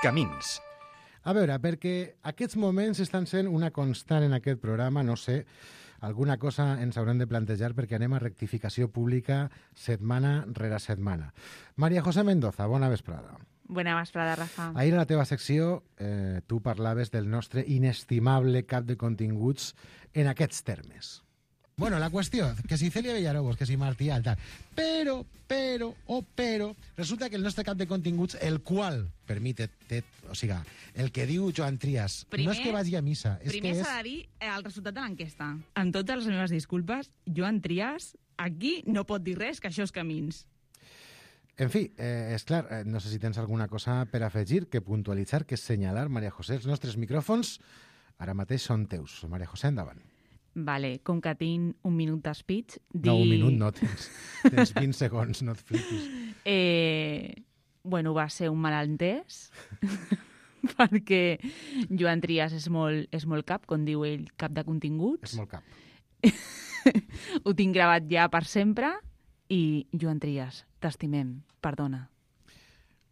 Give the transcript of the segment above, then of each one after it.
Camins. A veure, perquè aquests moments estan sent una constant en aquest programa, no sé, alguna cosa ens haurem de plantejar perquè anem a rectificació pública setmana rere setmana. María José Mendoza, bona vesprada. Bona vesprada, Rafa. Ahir a la teva secció tu parlaves del nostre inestimable cap de continguts en aquests termes. Bueno, la qüestió, que si Celia Villarobos, que si Martí Alta, però, resulta que el nostre cap de continguts, el qual, o sigui, el que diu Joan Trias, no és que vagi a missa, és primer que s'ha de dir el resultat de l'enquesta. Amb totes les meves disculpes, Joan Trias aquí no pot dir res, que això és Camins. En fi, és clar, no sé si tens alguna cosa per afegir, que puntualitzar, que assenyalar, Maria José. Els nostres micròfons ara mateix són teus. Maria José, endavant. Vale, com que tinc un minut d'espeech... No, un minut no, tens 20 segons, no et flipis. Bueno, va ser un malentès, perquè Joan Trias és molt cap, com diu ell, cap de continguts. És molt cap. Ho tinc gravat ja per sempre i, Joan Trias, t'estimem, perdona.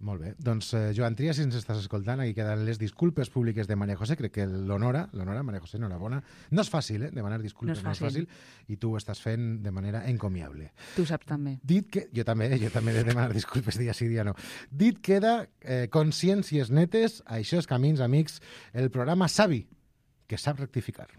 Molt bé. Doncs, Joan Trias, si ens estàs escoltant, aquí queden les disculpes públiques de Maria José. Crec que l'honora, Maria José, enhorabona. No és fàcil, demanar disculpes, no és fàcil. I tu ho estàs fent de manera encomiable. Tu saps també. Dit que... Jo també he de demanar disculpes dia sí, dia no. Dit queda consciències netes, això és Camins, amics, el programa savi, que sap rectificar.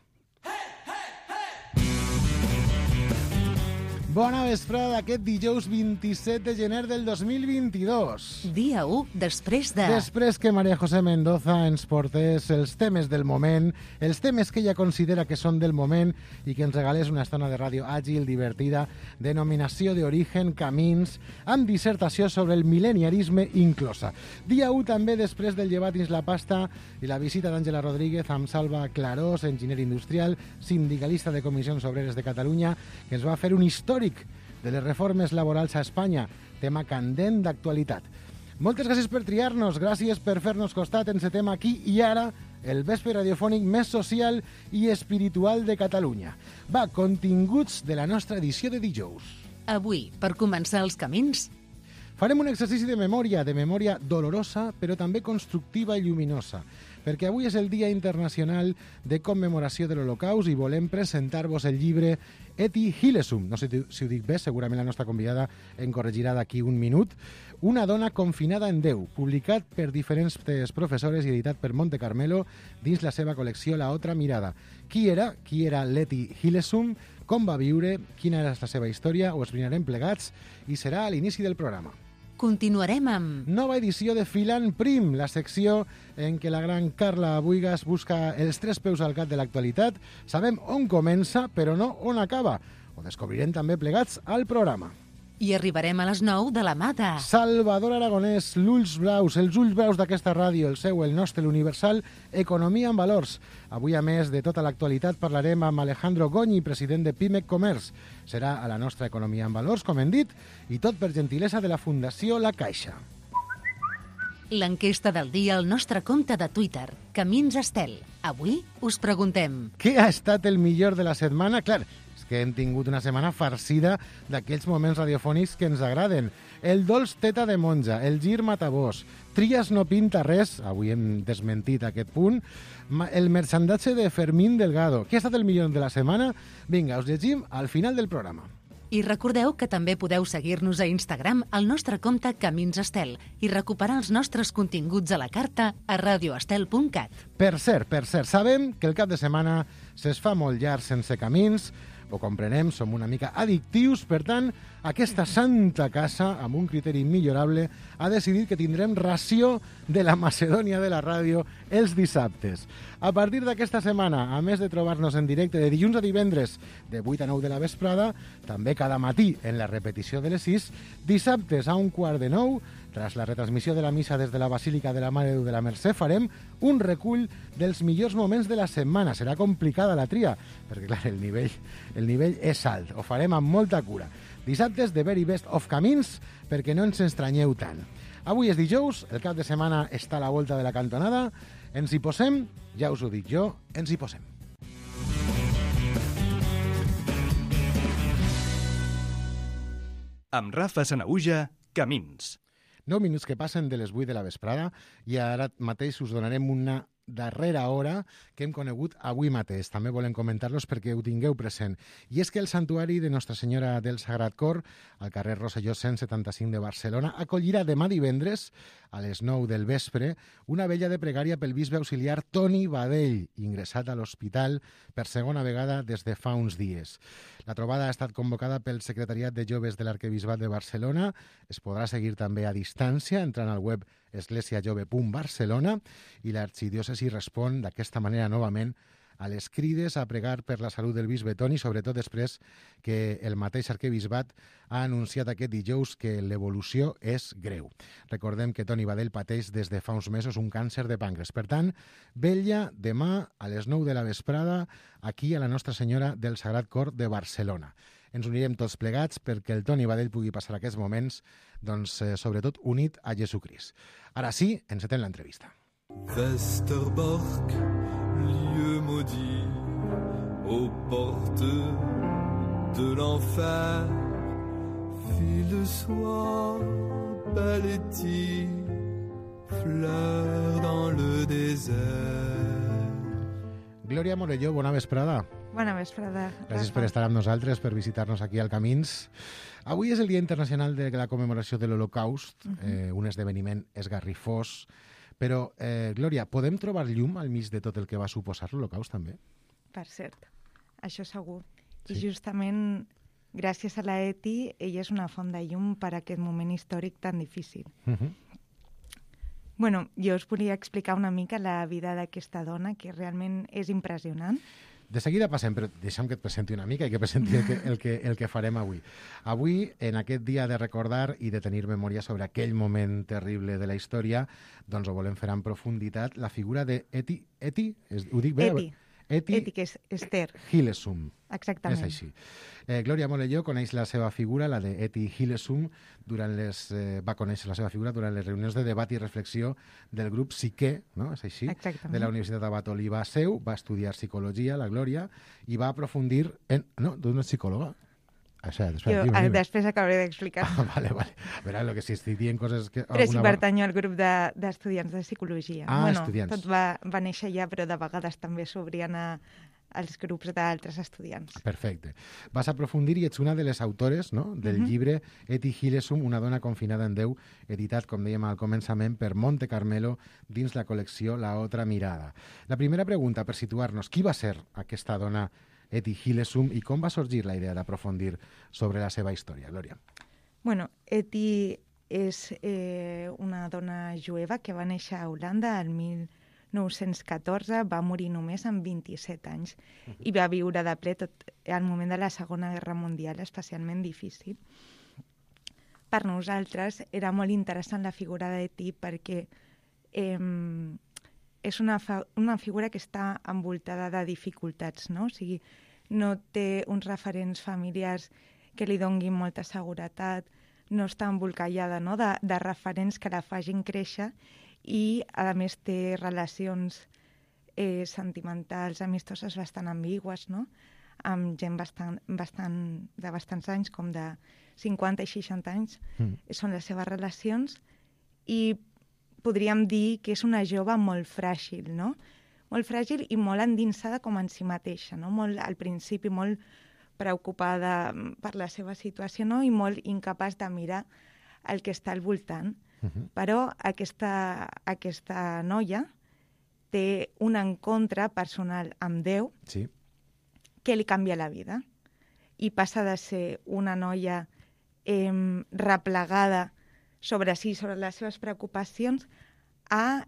Bona vesprada d'aquest dijous 27 de gener del 2022. Dia 1 després de... Després que Maria José Mendoza ens portés els temes del moment, els temes que ella considera que són del moment i que ens regalés una estona de ràdio àgil, divertida, denominació d'origen, Camins, amb dissertació sobre el mil·leniarisme inclosa. Dia 1 també després del llevat dins la pasta i la visita d'Àngela Rodríguez amb Salva Clarós, enginyer industrial, sindicalista de Comissions Obreres de Catalunya, que ens va fer un històric de les reformes laborals a Espanya, tema candent d'actualitat. Moltes gràcies per triar-nos, gràcies per fer-nos costat en aquest tema aquí i ara, el vespre radiofònic més social i espiritual de Catalunya. Va, continguts de la nostra edició de dijous. Avui, per començar els camins... Farem un exercici de memòria dolorosa, però també constructiva i lluminosa, perquè avui és el Dia Internacional de Commemoració de l'Holocaust i volem presentar-vos el llibre Etty Hillesum, no sé si ho dic bé, segurament la nostra convidada em corregirà d'aquí un minut, Una dona confinada en Déu, publicat per diferents professores i editat per Monte Carmelo dins la seva col·lecció La Otra Mirada. Qui era l'Etty Hillesum? Com va viure? Quina era la seva història? Ho esbrinarem plegats i serà a l'inici del programa. Continuarem amb... Nova edició de Filant Prim, la secció en què la gran Carla Buigas busca els tres peus al gat de l'actualitat. Sabem on comença, però no on acaba. Ho descobrirem també plegats al programa. I arribarem a les 9 de la mà de... Salvador Aragonès, els ulls braus d'aquesta ràdio, el nostre, l'Universal, Economia en Valors. Avui, a més de tota l'actualitat, parlarem amb Alejandro Goñi, president de Pimec Comerç. Serà a la nostra Economia en Valors, com hem dit, i tot per gentilesa de la Fundació La Caixa. L'enquesta del dia al nostre compte de Twitter, Camins Estel. Avui us preguntem... Què ha estat el millor de la setmana? Clar, que hem tingut una setmana farcida d'aquells moments radiofònics que ens agraden. El dolç teta de monja, el gir matabós, Trias no pinta res, avui hem desmentit aquest punt, el merchandatge de Fermín Delgado. Què ha estat el millor de la setmana? Vinga, us llegim al final del programa. I recordeu que també podeu seguir-nos a Instagram al nostre compte Camins Estel i recuperar els nostres continguts a la carta a radioestel.cat. Per cert, sabem que el cap de setmana se'ls fa molt llarg sense camins, ho comprenem, som una mica addictius, per tant, aquesta santa casa, amb un criteri millorable, ha decidit que tindrem ració de la Macedònia de la ràdio els dissabtes. A partir d'aquesta setmana, a més de trobar-nos en directe de dilluns a divendres de 8 a 9 de la vesprada, també cada matí en la repetició de les 6, dissabtes a 8:15, tras la retransmissió de la missa des de la Basílica de la Mare de Déu de la Mercè, farem un recull dels millors moments de la setmana. Serà complicada la tria, perquè clar, el nivell és alt. Ho farem amb molta cura. Dissabtes, the very best of Camins, perquè no ens estranyeu tant. Avui és dijous, el cap de setmana està a la volta de la cantonada. Ens hi posem, ja us ho dic jo, ens hi posem. Amb Rafa Sanaüja, Camins. 9 minuts que passen de les 8 de la vesprada i ara mateix us donarem una darrera hora que hem conegut avui mateix. També volem comentar-los perquè ho tingueu present. I és que el Santuari de Nostra Senyora del Sagrat Cor, al carrer Rosselló 175 de Barcelona, acollirà demà divendres a les 9 del vespre una vella de pregària pel bisbe auxiliar Toni Badell, ingressat a l'hospital per segona vegada des de fa uns dies. La trobada ha estat convocada pel Secretariat de Joves de l'Arquebisbat de Barcelona. Es podrà seguir també a distància entrant al web esglésiajove.barcelona i l'arxidiòcesi respon d'aquesta manera novament a les crides a pregar per la salut del bisbe Toni, sobretot després que el mateix arquebisbat ha anunciat aquest dijous que l'evolució és greu. Recordem que Toni Badell pateix des de fa uns mesos un càncer de pàncreas. Per tant, vetlla demà a les 9 de la vesprada aquí a la Nostra Senyora del Sagrat Cor de Barcelona. Ens unirem tots plegats perquè el Toni Badell pugui passar aquests moments, doncs, sobretot unit a Jesucrist. Ara sí, encetem l'entrevista. Westerbork, lieu maudit, aux portes de l'enfer, fille de soie, paletti, fleur dans le désert. Glòria Morelló, bona vesprada. Bona vesprada. Gràcies per estar amb nosaltres, per visitar-nos aquí al Camins. Avui és el Dia Internacional de la Commemoració de l'Holocaust, un esdeveniment esgarrifós. Però, Glòria, podem trobar llum al mig de tot el que va suposar l'Holocaust, també? Per cert, això segur. Sí. I justament gràcies a la ETI, ella és una font de llum per a aquest moment històric tan difícil. Bueno, jo us volia explicar una mica la vida d'aquesta dona, que realment és impressionant. De seguida passem, però deixa'm que et presenti una mica i que presenti el que farem avui. Avui, en aquest dia de recordar i de tenir memòria sobre aquell moment terrible de la història, doncs ho volem fer en profunditat, la figura d'Eti, ho dic bé? Eti, que és Esther. Hillesum. Exactament. És així. Glòria Morelló coneix la seva figura, la d'Eti Hillesum, va conèixer la seva figura durant les reunions de debat i reflexió del grup Psique, no? És així? Exactament. De la Universitat Abat Oliba Seu, va estudiar psicologia, la Glòria, i va aprofundir en... No, tu no ets psicòloga? Després acabaré d'explicar. Vale. A veure, el que si estic dient coses... Però sí pertanyo al grup d'estudiants de psicologia. Estudiants. Tot va néixer ja, però de vegades també s'obrien als grups d'altres estudiants. Perfecte. Vas aprofundir i ets una de les autores, no?, del llibre Eti Hillesum, una dona confinada en Déu, editat, com dèiem al començament, per Monte Carmelo dins la col·lecció La Otra Mirada. La primera pregunta, per situar-nos, qui va ser aquesta dona Eti Hillesum i com va sorgir la idea d'aprofundir sobre la seva història, Glòria? Bueno, Eti és una dona jueva que va néixer a Holanda el 1914, va morir només amb 27 anys i va viure de ple tot el moment de la Segona Guerra Mundial, especialment difícil. Per nosaltres era molt interessant la figura d'Eti perquè és una figura que està envoltada de dificultats, no? O sigui, no té uns referents familiars que li donguin molta seguretat, no està embolcallada, no?, de referents que la facin créixer i, a més, té relacions sentimentals, amistoses bastant ambigües, no?, amb gent de bastants anys, com de 50 i 60 anys, són les seves relacions, i podríem dir que és una jove molt fràgil, no? Molt fràgil i molt endinsada com en si mateixa, no? Molt, al principi molt preocupada per la seva situació, no? I molt incapaç de mirar el que està al voltant. Però aquesta noia té un encontre personal amb Déu que li canvia la vida i passa de ser una noia replegada sobre les seves preocupacions a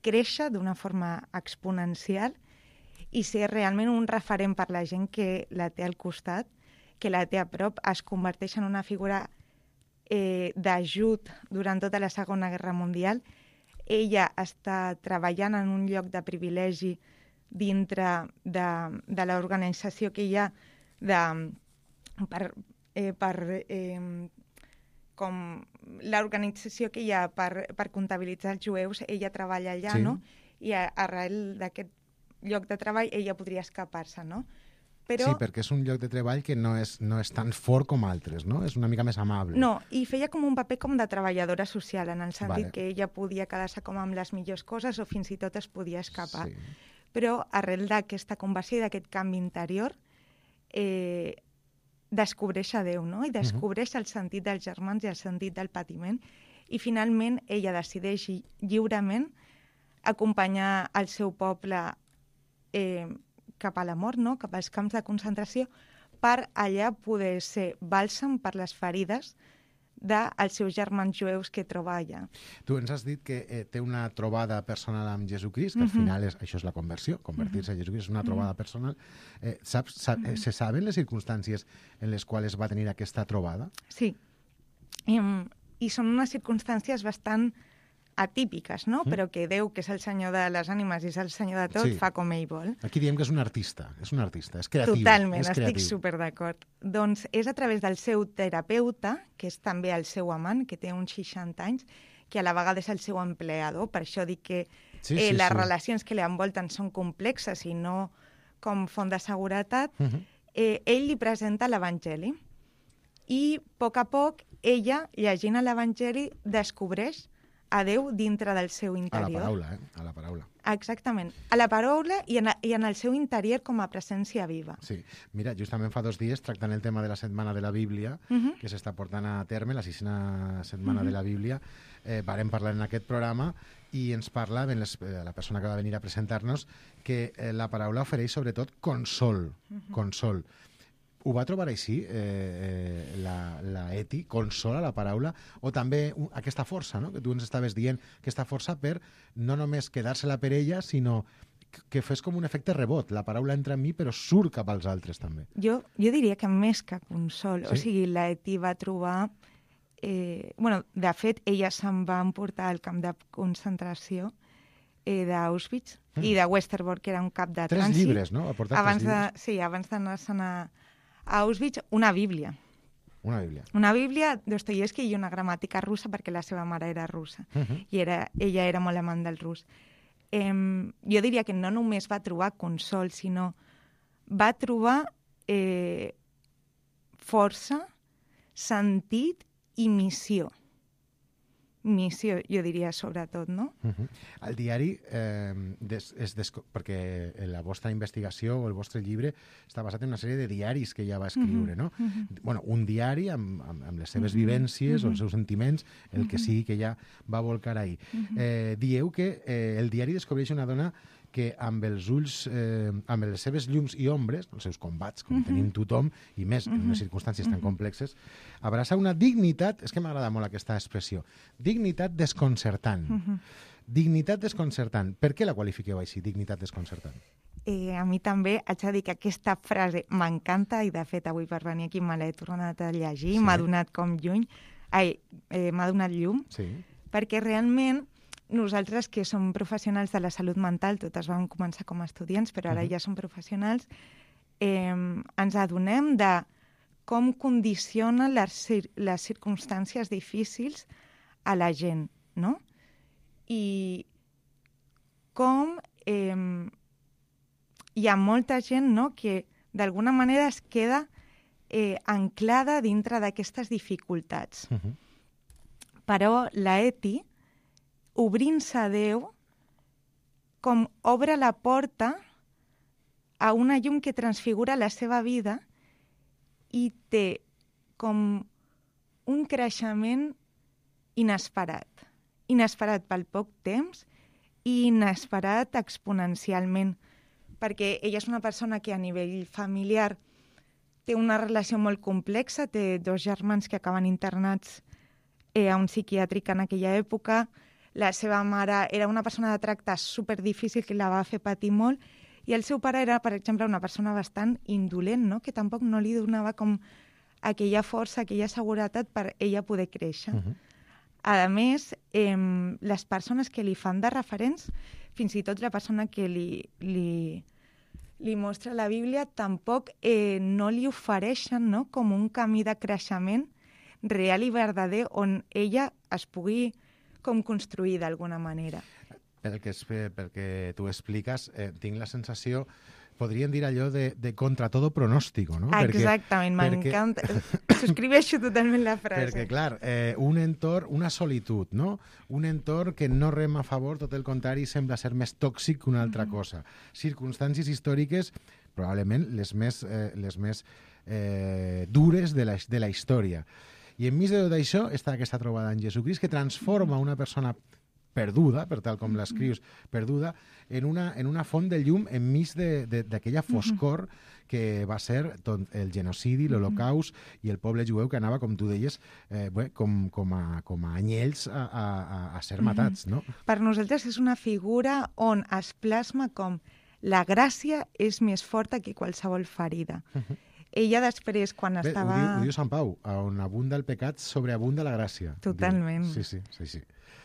créixer d'una forma exponencial i ser realment un referent per la gent que la té al costat, que la té a prop, es converteix en una figura d'ajut durant tota la Segona Guerra Mundial. Ella està treballant en un lloc de privilegi dintre de l'organització que hi ha com l'organització que hi ha per comptabilitzar els jueus, ella treballa allà, no? I arrel d'aquest lloc de treball ella podria escapar-se, no? Però... Sí, perquè és un lloc de treball que no és tan fort com altres, no? És una mica més amable. No, i feia com un paper com de treballadora social, en el sentit Vale. que ella podia quedar-se com amb les millors coses o fins i tot es podia escapar. Sí. Però arrel d'aquesta conversió i d'aquest canvi interior, descobreix a Déu, no? I descobreix el sentit dels germans i el sentit del patiment. I finalment ella decideix lliurement acompanyar el seu poble cap a la mort, no? Cap als camps de concentració, per allà poder ser bàlsam per les ferides dels seus germans jueus que troba allà. Tu ens has dit que té una trobada personal amb Jesucrist, que al final això és la conversió, convertir-se a Jesucrist és una trobada personal. Se saben les circumstàncies en les quals va tenir aquesta trobada? Sí. I són unes circumstàncies bastant atípiques, no? Però que Déu, que és el senyor de les ànimes i és el senyor de tot, Sí. fa com ell vol. Aquí diem que és un artista, és creatiu. Totalment, és estic creatiu. super d'acord. Doncs és a través del seu terapeuta, que és també el seu amant, que té uns 60 anys, que a la vegada és el seu empleador, per això dic que les relacions que li envolten són complexes i no com font de seguretat, ell li presenta l'Evangeli. I a poc ella, llegint l'Evangeli, descobreix a Déu dintre del seu interior. A la paraula. Exactament. A la paraula i en el seu interior com a presència viva. Sí. Mira, justament fa 2 dies, tractant el tema de la Setmana de la Bíblia, que s'està portant a terme, la 6a Setmana de la Bíblia, vàrem parlar en aquest programa i ens parla la persona que va venir a presentar-nos que la paraula ofereix sobretot consol. Consol. Ho va trobar així, la Eti, consola la paraula, o també aquesta força, no? Que tu ens estaves dient, aquesta força per no només quedar-se-la per ella, sinó que fes com un efecte rebot. La paraula entra en mi, però surt cap als altres, també. Jo diria que més que consol. Sí? O sigui, la Eti va trobar... de fet, ella se'n va emportar al camp de concentració d'Auschwitz i de Westerbork, que era un cap de 3 trànsit. llibres, no? Ha portat 3 llibres. Sí, abans d'anar-se'n a Auschwitz, una Bíblia. Una Bíblia. Una Bíblia, Dostoievski i una gramàtica russa, perquè la seva mare era russa. I ella era molt amant del rus. Jo diria que no només va trobar consol, sinó va trobar força, sentit i missió. Missió, jo diria, sobretot, no? El diari, perquè la vostra investigació o el vostre llibre està basat en una sèrie de diaris que ella va escriure, no? Bueno, un diari amb les seves vivències o els seus sentiments, el que sigui que ella va volcar ahir. Dieu que el diari descobreix una dona que amb els ulls, amb les seves llums i ombres, els seus combats, com tenim tothom, i més en unes circumstàncies tan complexes, abraça una dignitat, és que m'agrada molt aquesta expressió, dignitat desconcertant. Dignitat desconcertant. Per què la qualifiqueu així, dignitat desconcertant? A mi també haig de dir que aquesta frase m'encanta i, de fet, avui per venir aquí me l'he tornat a llegir, m'ha donat com m'ha donat llum, perquè realment nosaltres, que som professionals de la salut mental, totes vam començar com a estudiants, però ara ja som professionals, ens adonem de com condiciona les circumstàncies difícils a la gent, no? I com hi ha molta gent, no?, que d'alguna manera es queda anclada dintre d'aquestes dificultats. Però la Eti, obrint-se a Déu, com obre la porta a una llum que transfigura la seva vida i té com un creixement inesperat. Inesperat pel poc temps i inesperat exponencialment, perquè ella és una persona que a nivell familiar té una relació molt complexa, té 2 germans que acaben internats a un psiquiàtric en aquella època. La seva mare era una persona de tracte superdifícil que la va fer patir molt, i el seu pare era, per exemple, una persona bastant indolent, no?, que tampoc no li donava com aquella força, aquella seguretat per ella poder créixer. A més, les persones que li fan de referents, fins i tot la persona que li mostra la Bíblia, tampoc no li ofereixen, no?, com un camí de creixement real i verdader on ella es pugui com construir d'alguna manera. Pel que tu expliques, tinc la sensació podríem dir allò de contra todo pronóstico, no? Exactament, m'encanta. Subscriveixo totalment la frase. Perquè, clar, un entorn, una solitud, no? Un entorn que no rema a favor, tot el contrari, sembla ser més tòxic que una altra cosa. Circumstàncies històriques, probablement les més dures de la història. I enmig de tot això està aquesta trobada en Jesucrist que transforma una persona perduda, per tal com l'escrius, perduda, en una font de llum enmig d'aquella foscor que va ser el genocidi, l'Holocaust i el poble jueu que anava, com tu deies, com a anyells a ser matats, no? Per nosaltres és una figura on es plasma com la gràcia és més forta que qualsevol ferida. Ella després, quan estava... Ho diu Sant Pau, on abunda el pecat, sobreabunda la gràcia. Totalment. Sí.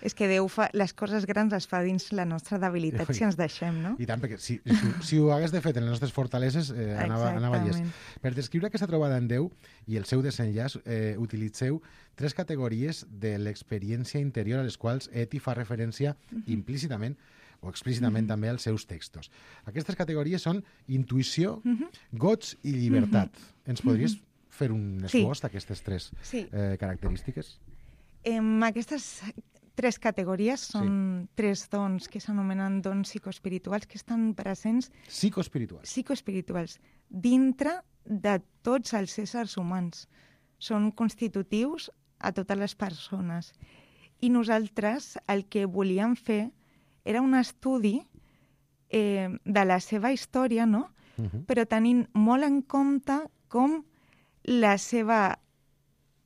És que Déu fa les coses grans les fa dins la nostra debilitat si ens deixem, no? I tant, perquè si ho hagués de fet en les nostres fortaleses, anava llest. Per descriure aquesta trobada en Déu i el seu desenllaç, utilitzeu 3 categories de l'experiència interior a les quals Eti fa referència implícitament o explícitament també als seus textos. Aquestes categories són intuïció, goig i llibertat. Ens podries fer un esbós d'aquestes 3 característiques? Aquestes 3 categories són 3 dons que s'anomenen dons psicoespirituals que estan presents... Psicoespirituals. Dintre de tots els éssers humans. Són constitutius a totes les persones. I nosaltres el que volíem fer era un estudi de la seva història, no? Però tenint molt en compte com la seva...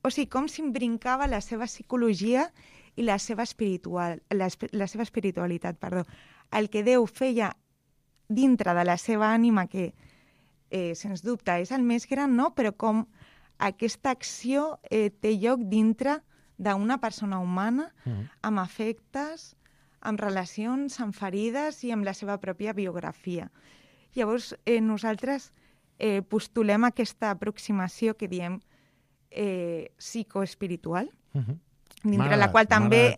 O sigui, com s'imbrincava la seva psicologia i la seva espiritualitat. El que Déu feia dintre de la seva ànima, que sens dubte és el més gran, no? Però com aquesta acció té lloc dintre d'una persona humana, amb afectes, amb relacions, amb ferides i amb la seva pròpia biografia. Llavors, nosaltres postulem aquesta aproximació que diem psicoespiritual, dintre la qual també...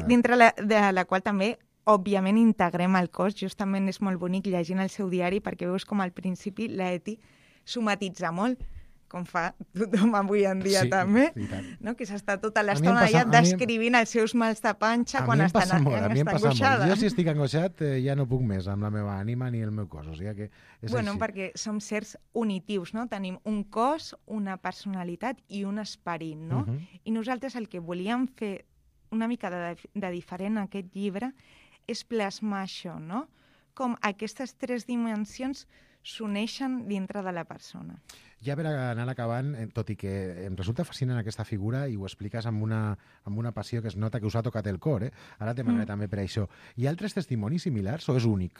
dintre de la qual també, òbviament, integrem el cos. Justament és molt bonic llegint el seu diari perquè veus com al principi l'Eti somatitza molt, com fa tothom avui en dia també, no? Que s'està tota l'estona ja descrivint els seus mals de panxa quan estan angoixada. Jo si estic angoixat ja no puc més amb la meva ànima ni el meu cos. O sigui que és així. Perquè som certs unitius, no? Tenim un cos, una personalitat i un esperit, no? I nosaltres el que volíem fer una mica de diferent en aquest llibre és plasmar això, no? Com aquestes 3 dimensions s'uneixen dintre de la persona. Ja per anar acabant, tot i que em resulta fascinant aquesta figura i ho expliques amb una passió que es nota que us ha tocat el cor, Ara te demanaré també per això. Hi ha altres testimonis similars o és únic?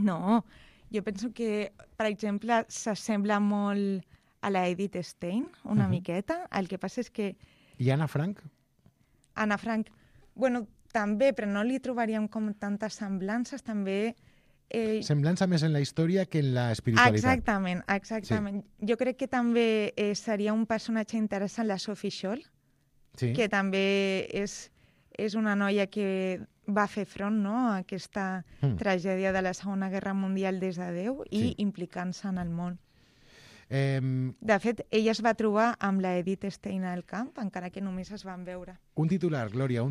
No, jo penso que, per exemple, s'assembla molt a la Edith Stein, una miqueta. El que passa és que... I Anna Frank? Anna Frank, bueno, també, però no li trobaríem com tantes semblances, també... Semblança més en la història que en la espiritualitat. Exactament. Sí. Jo crec que també seria un personatge interessant la Sophie Scholl, que també és una noia que va fer front, no?, a aquesta tragèdia de la Segona Guerra Mundial des de Déu i implicant-se en el món. De fet, ella es va trobar amb la Edith Stein al camp, encara que només es van veure. Un titular, Glòria,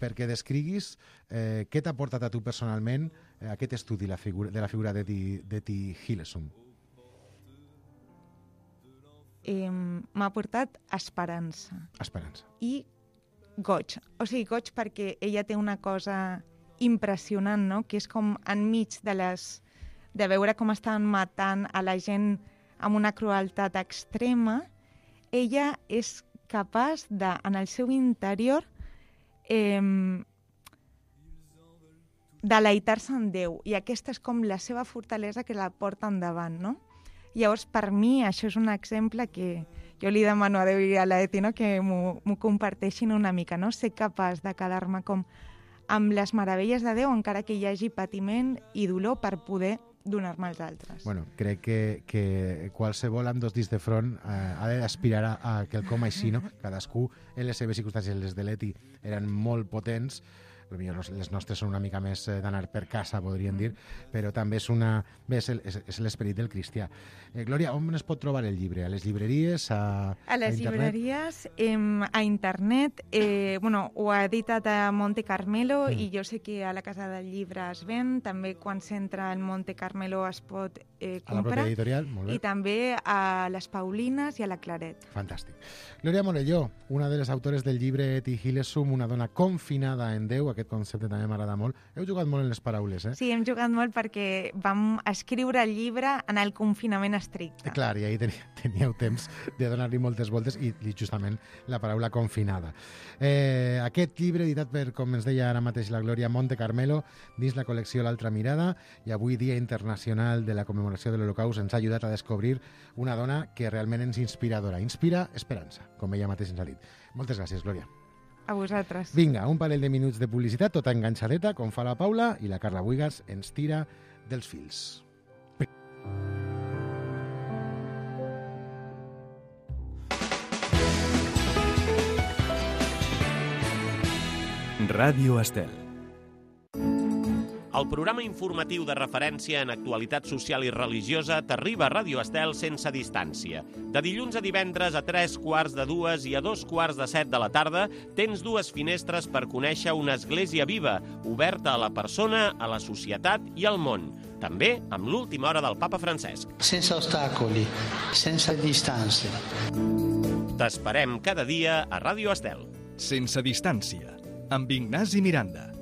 perquè descriguis què t'ha portat a tu personalment aquest estudi de la figura d'Etty Hillesum. M'ha portat esperança. Esperança. I goig. O sigui, goig perquè ella té una cosa impressionant, no?, que és com enmig de veure com estan matant a la gent amb una crueltat extrema, ella és capaç de, en el seu interior, deleitar-se en Déu. I aquesta és com la seva fortalesa que la porta endavant, no? Llavors, per mi, això és un exemple que jo li demano a Déu i a l'Eti, no?, que m'ho comparteixin una mica, no? Ser capaç de quedar-me com amb les meravelles de Déu, encara que hi hagi patiment i dolor, per poder donar-me als altres. Bueno, crec que qualsevol amb 2 dits de front ha d'aspirar a quelcom així, no? Cadascú en les seves circumstàncies, les de l'Eti eren molt potents, Potser les nostres són una mica més d'anar per casa, podríem dir, però també és l'esperit del cristià. Glòria, on es pot trobar el llibre? A les llibreries? A les llibreries, a internet. Ho ha editat a Monte Carmelo i jo sé que a la Casa del Llibre es ven. També quan s'entra en Monte Carmelo es pot comprar. A la pròpia editorial, molt bé. I també a les Paulines i a la Claret. Fantàstic. Glòria Morelló, una de les autores del llibre Et Hillesum, una dona confinada en Déu, aquest concepte també m'agrada molt. Heu jugat molt en les paraules, eh? Sí, hem jugat molt perquè vam escriure el llibre en el confinament estricte. Clar, i ahir teníeu temps de donar-li moltes voltes i justament la paraula confinada. Aquest llibre, editat per, com ens deia ara mateix la Glòria, Monte Carmelo, dins la col·lecció L'Altra Mirada, i avui, Dia Internacional de la Commemoració de l'Holocaust, ens ha ajudat a descobrir una dona que realment ens inspiradora. Inspira esperança, com ella mateix ens ha dit. Moltes gràcies, Glòria. A vosaltres. Vinga, un parell de minuts de publicitat, tota enganxadeta, com fa la Paula, i la Carla Buigas ens tira dels fils. Ràdio Estel. El programa informatiu de referència en actualitat social i religiosa t'arriba a Ràdio Estel sense distància. De dilluns a divendres a 3:15 i a 2:17 de la tarda tens dues finestres per conèixer una església viva, oberta a la persona, a la societat i al món. També amb l'última hora del papa Francesc. Sense ostacoli, sense distància. T'esperem cada dia a Ràdio Estel. Sense distància, amb Ignasi Miranda.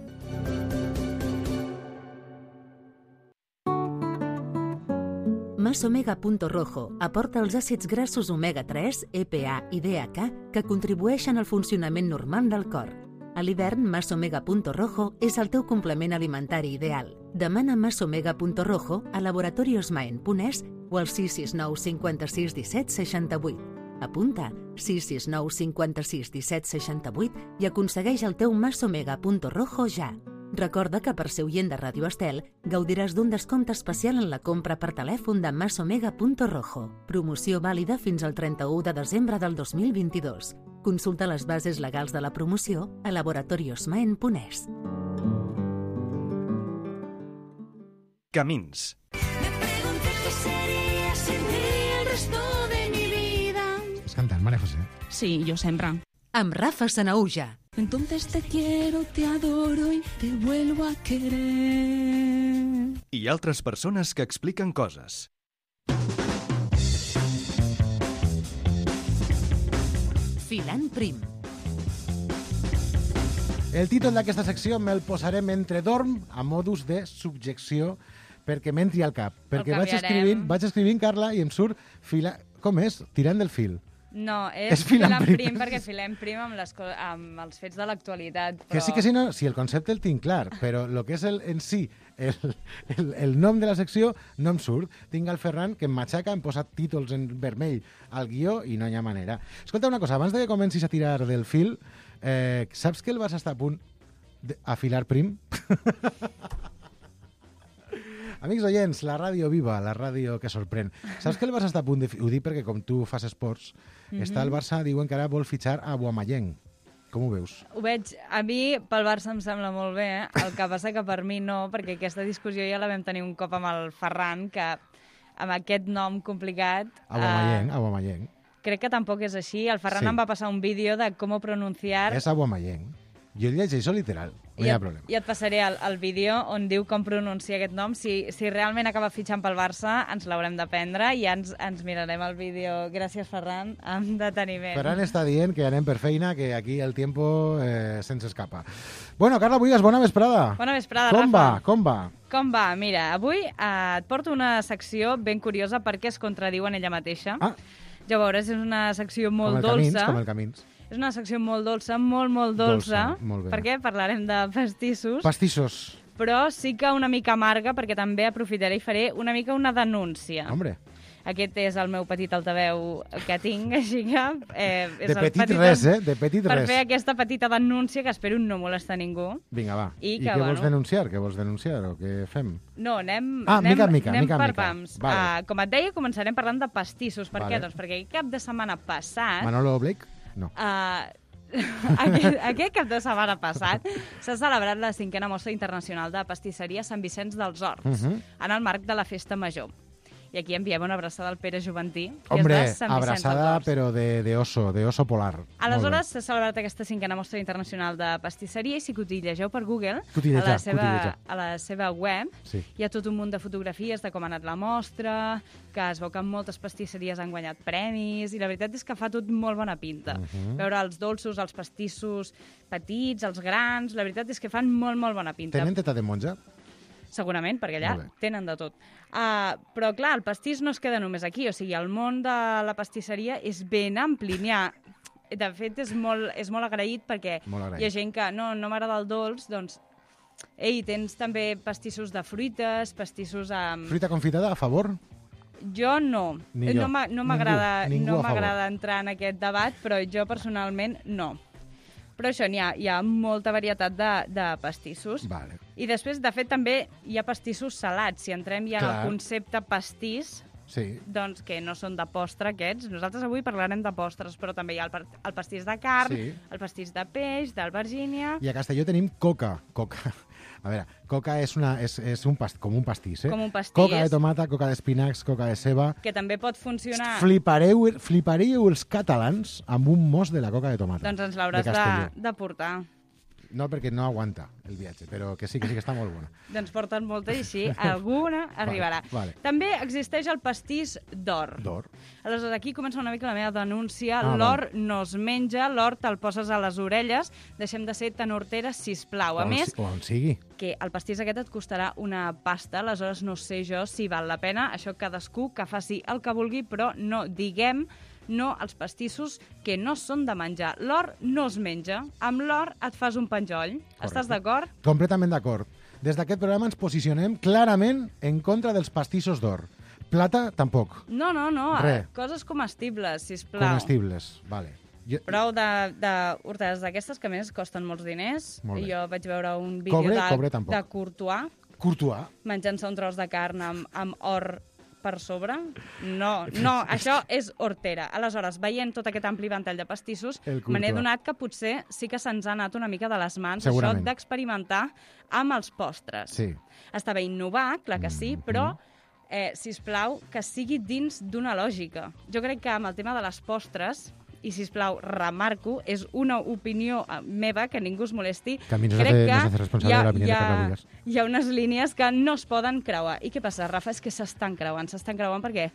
Masomega.rojo aporta els àcids grassos omega-3, EPA i DHA que contribueixen al funcionament normal del cor. A l'hivern, Masomega.rojo és el teu complement alimentari ideal. Demana Masomega.rojo a laboratoriosmaen.es o al 669 56 17 68. Apunta 669 56 17 68 i aconsegueix el teu Masomega.rojo ja. Recorda que per ser oient de Ràdio Estel gaudiràs d'un descompte especial en la compra per telèfon de Masomega.rojo. Promoció vàlida fins al 31 de desembre del 2022. Consulta les bases legals de la promoció a laboratoriosmaen.es. Camins. Estàs cantant, Maria José? Sí, jo sempre. Amb Rafa Sanaúja. Entonces te quiero, te adoro y te vuelvo a querer. I altres persones que expliquen coses. Filant prim. El títol d'aquesta secció me'l posarem entre dorm a modus de subjecció perquè m'entri al cap. Perquè vaig escrivint, Carla, i em surt com és? Tirant del fil. No, és filant prim perquè filem prim amb els fets de l'actualitat. Però... Que sí, no, sí, el concepte el tinc clar, però el que és en si, el nom de la secció no em surt. Tinc el Ferran que em matxaca, em posa títols en vermell al guió i no hi ha manera. Escolta una cosa, abans de que comencis a tirar del fil, saps que el Barça està a punt d'afilar prim? Amics oients, la ràdio viva, la ràdio que sorprèn. Saps que el Barça està a punt de... Ho dic perquè com tu fas esports, està el Barça, diuen que ara vol fitxar a Aubameyang. Com ho veus? Ho veig. A mi, pel Barça em sembla molt bé, el que passa que per mi no, perquè aquesta discussió ja la vam tenir un cop amb el Ferran, que amb aquest nom complicat... Aubameyang. Crec que tampoc és així. El Ferran em va passar un vídeo de com pronunciar... És Aubameyang. Jo el llegeixo literal. No hi ha problema. I et passaré el vídeo on diu com pronunciar aquest nom. Si realment acaba fitxant pel Barça, ens l'haurem d'aprendre i ja ens mirarem el vídeo. Gràcies, Ferran, amb deteniment. Ferran està dient que anem per feina, que aquí el tiempo se'ns escapa. Bueno, Carla Buigas, bona vesprada. Bona vesprada, Rafa. Com va? Com va? Mira, avui et porto una secció ben curiosa perquè es contradiu en ella mateixa. Ja veuràs, és una secció molt dolça. Com el Camins. És una secció molt dolça, molt dolça. Molt bé. Perquè parlarem de pastissos. Pastissos. Però sí que una mica amarga, perquè també aprofitaré i faré una mica una denúncia. Hombre. Aquest és el meu petit altaveu que tinc, així que... de petit res, eh? De petit res. Per fer aquesta petita denúncia, que espero no molestar ningú. Vinga, va. I què vols denunciar? Què vols denunciar o què fem? No, anem mica. per pams. Vale. Com et deia, començarem parlant de pastissos. Per què? Doncs perquè cap de setmana passat... Manolo Blake? No. Aquest cap de setmana passat s'ha celebrat la 5a Mostra Internacional de Pastisseria Sant Vicenç dels Horts, en el marc de la Festa Major. I aquí enviem una abraçada al Pere Juventí, que Hombre, és de Sant Vicenç dels abraçada, Horts. però de oso polar. Aleshores, s'ha celebrat aquesta 5a Mostra Internacional de Pastisseria i si cotillegeu per Google, Cotillejar. a la seva web, Sí. hi ha tot un munt de fotografies de com ha anat la mostra, que es veu que moltes pastisseries han guanyat premis, i la veritat és que fa tot molt bona pinta. Veure els dolços, els pastissos petits, els grans, la veritat és que fan molt bona pinta. Tenen teta de monja? Segurament, perquè allà Molt bé. tenen de tot. Però, clar, el pastís no es queda només aquí. O sigui, el món de la pastisseria és ben ampli. De fet, és molt agraït perquè Molt agraït. hi ha gent que no m'agrada el dolç, doncs, tens també pastissos de fruites, pastissos amb... Fruita confitada, a favor? Jo no. Ni jo. No m'agrada Ningú a favor. entrar en aquest debat, però jo personalment no. Però això, hi ha molta varietat de pastissos. Vale. I després, de fet, també hi ha pastissos salats. Si entrem ja en Clar. el concepte pastís, Sí. doncs que no són de postre aquests. Nosaltres avui parlarem de postres, però també hi ha el pastís de carn, Sí. el pastís de peix, d'albergínia... I a Castelló tenim coca. A veure, coca és com un pastís, eh? Com un pastís. Coca de tomata, coca d'espinacs, coca de ceba. que també pot funcionar... Fliparíeu els catalans amb un mos de la coca de tomata. Doncs ens l'hauràs de Castelló. de portar. No, perquè no aguanta el viatge, però que sí que està molt bona. Doncs porten molta i així alguna arribarà. Vale. També existeix el pastís d'or. D'or. Aleshores, aquí comença una mica la meva denúncia. Ah, L'or no es menja, l'or te'l poses a les orelles. Deixem de ser tan horteres, sisplau. A més, O on sigui. que el pastís aquest et costarà una pasta, aleshores no sé jo si val la pena. Això cadascú que faci el que vulgui, però no diguem no als pastissos que no són de menjar. L'or no es menja. Amb l'or et fas un penjoll. Estàs d'acord? Completament d'acord. Des d'aquest programa ens posicionem clarament en contra dels pastissos d'or. Plata, tampoc. No. Res. Coses comestibles, sisplau. Comestibles, vale. Prou d'hortades d'aquestes, que a més costen molts diners. Molt bé. Jo vaig veure un vídeo Cobre tampoc. de Courtois Courtois. menjant-se un tros de carn amb or per sobre. No, això és hortera. Aleshores, veient tot aquest ampli ventall de pastissos, El me n'he Courtois. donat que potser sí que se'ns ha anat una mica de les mans Segurament. això d'experimentar amb els postres. Sí. Està bé innovar, clar que sí, però sisplau, que sigui dins d'una lògica. Jo crec que amb el tema de les postres, i sisplau, remarco, és una opinió meva, que ningú es molesti, Que a mi no crec se hace responsable de la opinió de Carla Buigas. hi ha unes línies que no es poden creuar. I què passa, Rafa? És que s'estan creuant perquè,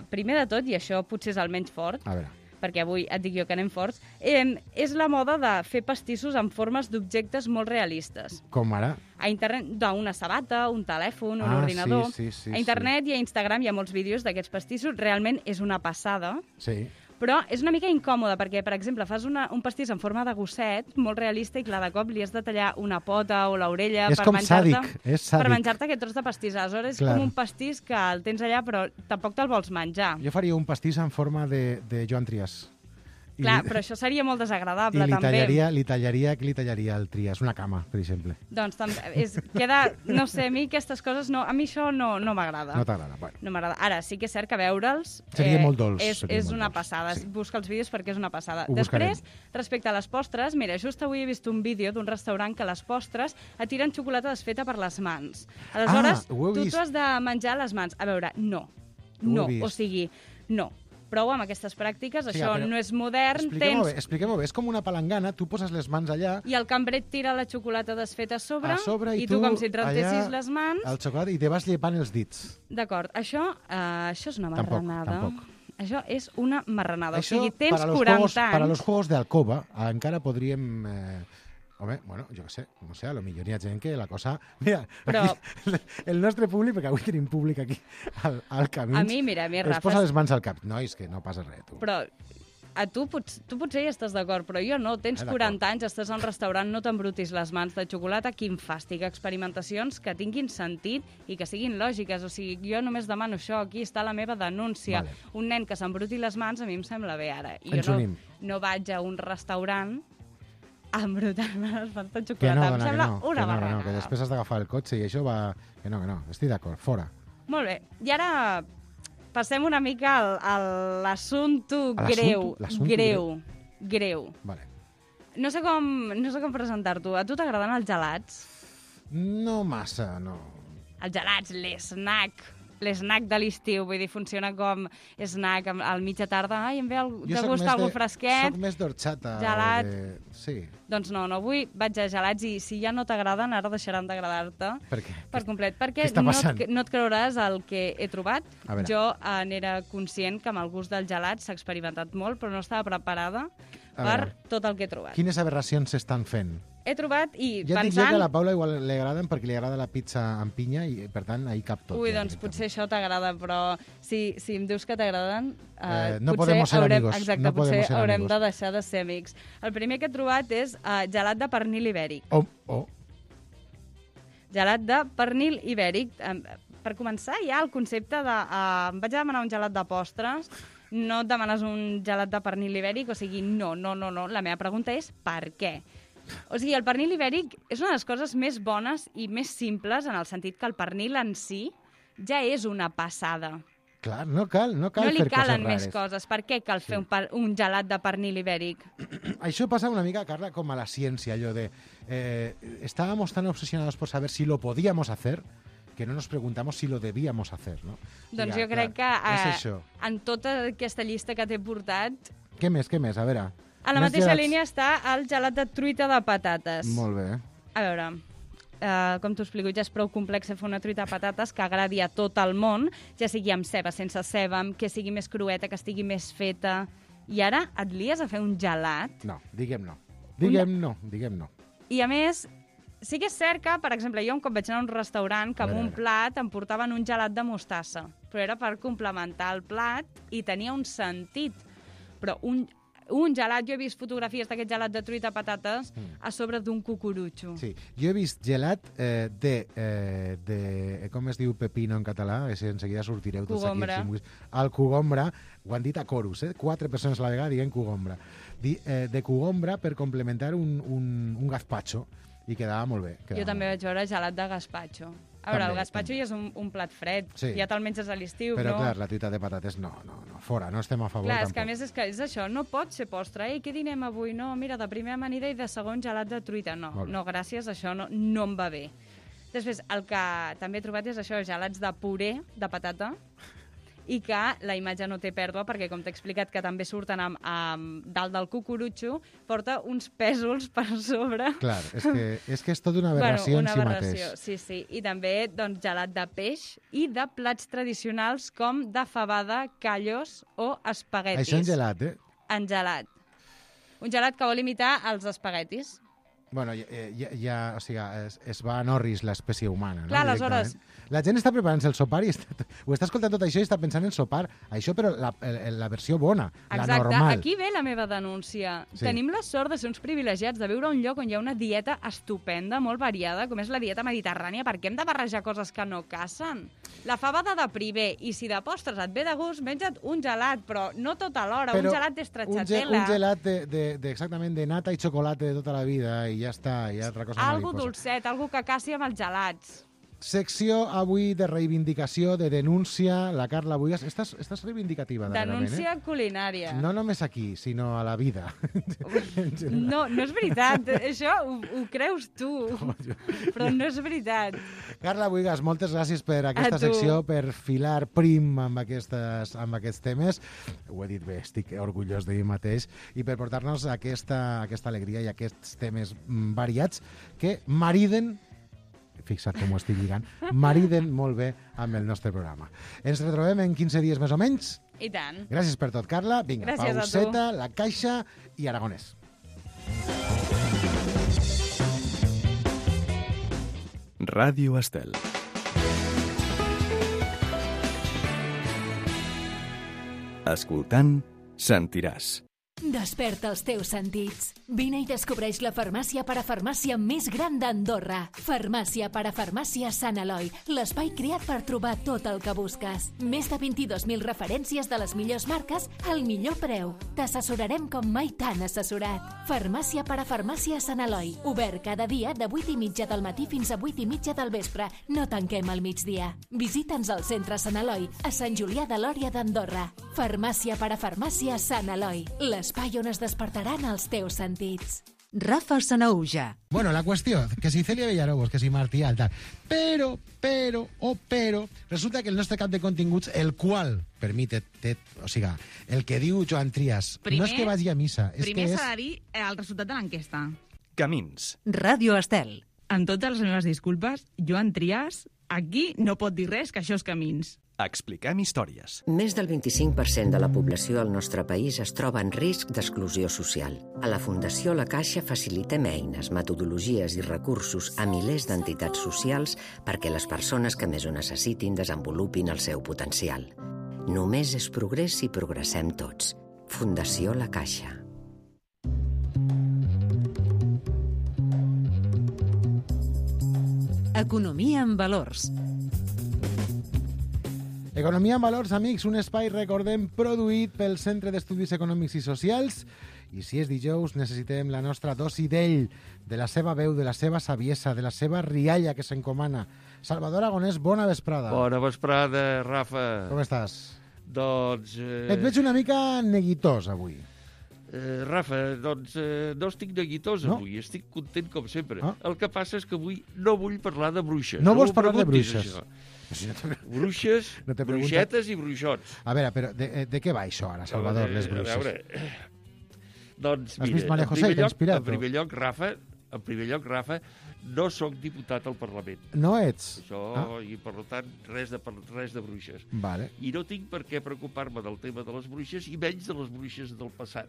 primer de tot, i això potser és el menys fort, A veure. perquè avui et dic jo que anem forts, és la moda de fer pastissos en formes d'objectes molt realistes. Com ara? A internet, una sabata, un telèfon, un ordinador. Sí, A internet i a Instagram hi ha molts vídeos d'aquests pastissos. Realment és una passada, Sí. però és una mica incòmode perquè, per exemple, fas un pastís en forma de gosset, molt realista, i clar, de cop li has de tallar una pota o l'orella És per com menjar-te sàdic, és sàdic. per menjar-te aquest tros de pastís. Aleshores és Clar. com un pastís que el tens allà però tampoc te'l vols menjar. Jo faria un pastís en forma de Joan Trias. Clar, però això seria molt I desagradable, li també. tallaria el Trias, una cama, per exemple. Doncs queda, no sé, a mi aquestes coses, a mi això no m'agrada. No t'agrada, bueno. No m'agrada. Ara, sí que és cert que veure'ls Seria molt dolç, seria és molt una dolç, passada. sí. Busca els vídeos perquè és una passada. Ho buscarem. Després, respecte a les postres, mira, just avui he vist un vídeo d'un restaurant que les postres et tiren xocolata desfeta per les mans. Aleshores, ho he tu vist. t'ho has de menjar a les mans. A veure, no. Ho he No, vist. o sigui, no. Prou amb aquestes pràctiques, Sí, això però no és modern, Expliquem-ho bé. És com una palangana, tu poses les mans allà, i el cambrer et tira la xocolata desfeta a sobre, i tu com si et rentessis les mans. el xocolata, i te vas llepant els dits. D'acord, això és una marranada. Tampoc. Això és una marranada. Això, o sigui, tens para los 40 juegos, anys... Para los juegos de alcoba, encara podríem... Home, bueno, jo què sé, no sé, a lo millor hi ha gent que la cosa... Mira, Però- aquí, el nostre públic, perquè avui tenim públic aquí al camí, A mi, mira, es Rafa, posa les mans al cap. Nois, que no passa res, tu. però tu potser hi estàs d'acord, però jo no. Tens d'acord. 40 anys, estàs al restaurant, no t'embrutis les mans de xocolata. Quin fàstic. Experimentacions que tinguin sentit i que siguin lògiques. O sigui, jo només demano això. Aquí està la meva denúncia. Vale. Un nen que s'embruti les mans a mi em sembla bé ara. I Ens jo unim. no vaig a un restaurant a embrutar-me les mans de Que xocolata. no, em dona, que sembla no, una que barranada. que després has d'agafar el cotxe i això va... Que no, estic d'acord, fora. Molt bé. I ara passem una mica a l'assumpte A greu. l'assumpte Greu. Vale. No sé com presentar-t'ho. A tu t'agraden els gelats? No massa, no. Els gelats, l'esnac de l'estiu, vull dir, funciona com snack al mitja tarda. Ai, em ve de gust algú fresquet. Soc més d'orxata. Gelat. Sí. Doncs no, avui vaig a gelats i si ja no t'agraden, ara deixaran d'agradar-te. Per què? Per complet. Perquè què està passant? no et creuràs el que he trobat. A veure. Jo n'era conscient que amb el gust del gelat s'ha experimentat molt, però no estava preparada per tot el que he trobat. Quines aberracions s'estan fent? He trobat i Ja et dic pensant... que a la Paula igual li agraden perquè li agrada la pizza amb pinya i, per tant, ahí cap tot. Ui, doncs potser això t'agrada, però si em dius que t'agraden, no potser podemos ser amigos. Exacte, no potser haurem amigos. de deixar de ser amics. El primer que he trobat és gelat de pernil ibèric. Gelat de pernil ibèric. Per començar, ja el concepte de... Em vaig a demanar un gelat de postres, no et demanes un gelat de pernil ibèric, o sigui, no. La meva pregunta és per què? O sigui, el pernil ibèric és una de les coses més bones i més simples, en el sentit que el pernil en si ja és una passada. Clar, no cal no fer li coses calen rares. més coses. Per què cal fer un gelat de pernil ibèric? Això pasa una mica, Carla, com a la ciència, allò de... estábamos tan obsesionados por saber si lo podíamos hacer que no nos preguntamos si lo debíamos hacer, no? Doncs jo crec que en tota aquesta llista que t'he portat... Què més? A veure... A la mateixa línia està el gelat de truita de patates. Molt bé. A veure, com t'ho explico, ja és prou complex fer una truita de patates que agradi a tot el món, ja sigui amb ceba, sense ceba, que sigui més crueta, que estigui més feta. I ara et lies a fer un gelat? No, diguem no. I a més, sí que és cert que, per exemple, jo un cop vaig anar a un restaurant que amb un plat em portaven un gelat de mostassa, però era per complementar el plat i tenia un sentit. Però un gelat, jo he vist fotografies d'aquest gelat de truita patates a sobre d'un cucurutxo. Sí, jo he vist gelat de com es diu pepino en català? En seguida sortireu tots aquí. El cogombra, ho han dit a corus, 4 persones a la vegada dient cogombra. De cogombra per complementar un gazpacho i quedava molt bé. Jo també vaig veure gelat de gazpacho. A veure, el gazpacho ja és un plat fred, ja te'l menges a l'estiu, però clar, la truita de patates no, fora, no estem a favor clar, tampoc. Clar, és que és això, no pot ser postre. Ei, què dinem avui? No, mira, de primer amanida i de segon gelat de truita. No, gràcies, això no em va bé. Després, el que també he trobat és això, gelats de puré de patata, i que la imatge no té pèrdua, perquè, com t'he explicat, que també surten dalt del cucurutxo, porta uns pèsols per sobre. Clar, és que és tota una aberració en si mateix. Sí. I també doncs, gelat de peix i de plats tradicionals com de fabada, callos o espaguetis. Això en gelat, En gelat. Un gelat que vol imitar els espaguetis. Bueno, o sigui, es va a Norris l'espècie humana, no? Clar, aleshores... La gent està preparant-se el sopar i ho està escoltant tot això i està pensant en sopar. Això, però la versió bona, la normal. Exacte, aquí ve la meva denúncia. Sí. Tenim la sort de ser uns privilegiats, de viure a un lloc on hi ha una dieta estupenda, molt variada, com és la dieta mediterrània. Per què hem de barrejar coses que no casen? La fabada de primer, i si de postres et ve de gust, menja't un gelat, però no tot alhora, un gelat d'estracciatella. Un gelat exactament de nata i xocolata de tota la vida i ja està, hi ha altra cosa mariposa. Algo dolcet, algo que casi amb els gelats. Secció avui de reivindicació, de denúncia. La Carla Buigas, estàs reivindicativa darrerament, denúncia culinària. No només aquí, sinó a la vida. No és veritat. Això ho creus tu, però no és veritat. Carla Buigas, moltes gràcies per aquesta secció, per filar prim amb aquests temes. Ho he dit bé, estic orgullós de mi mateix. I per portar-nos aquesta alegria i aquests temes variats que mariden, fixa't com ho estic lligant, mariden molt bé amb el nostre programa. Ens retrobem en 15 dies més o menys. I tant. Gràcies per tot, Carla. Vinga, gràcies pauseta, La Caixa i Aragonès. Ràdio Estel. Escoltant, sentiràs. Desperta els teus sentits. Vine i descobreix la farmàcia parafarmàcia més gran d'Andorra. Farmàcia parafarmàcia Sant Eloi, l'espai creat per trobar tot el que busques. Més de 22.000 referències de les millors marques al millor preu. T'assessorarem com mai t'han assessorat. Farmàcia parafarmàcia Sant Eloi, obert cada dia de 8:30 del matí fins a 8:30 del vespre. No tanquem al migdia. Visita'ns al centre Sant Eloi, a Sant Julià de Lòria d'Andorra. Farmàcia parafarmàcia Sant Eloi, l'espai on es despertaran els teus sentits. Rafa Sanauja. Bueno, la qüestió, que si Celia Villarobos, que si Martí Alt, tal. Però, resulta que el nostre cap de continguts, el qual permite, o sigui, el que diu Joan Trias, no és que vagi a missa, és primer que és... s'ha de dir el resultat de l'enquesta. Camins. Ràdio Estel. Amb totes les meves disculpes, Joan Trias aquí no pot dir res, que això és Camins. Expliquem històries. Més del 25% de la població al nostre país es troba en risc d'exclusió social. A la Fundació La Caixa facilitem eines, metodologies i recursos a milers d'entitats socials perquè les persones que més ho necessitin desenvolupin el seu potencial. Només és progrés si progressem tots. Fundació La Caixa. Economia en valors. Economia en valors, amics, un espai, recordem, produït pel Centre d'Estudis Econòmics i Socials. I si és dijous, necessitem la nostra dosi d'ell, de la seva veu, de la seva saviesa, de la seva rialla que s'encomana. Salvador Aragonès, bona vesprada. Bona vesprada, Rafa. Com estàs? Doncs... Et veig una mica neguitós, avui. Rafa, doncs no estic neguitós avui, estic content com sempre. El que passa és que avui no vull parlar de bruixes. No vols parlar de bruixes? Bruixes, bruixetes i bruixots. A veure, però de què va això ara, Salvador, les bruixes? A veure, doncs has vist Maria José, t'ha inspirat? En primer lloc, Rafa, no sóc diputat al Parlament. No ets? Això, i per tant, res de bruixes. Vale. I no tinc per què preocupar-me del tema de les bruixes i menys de les bruixes del passat.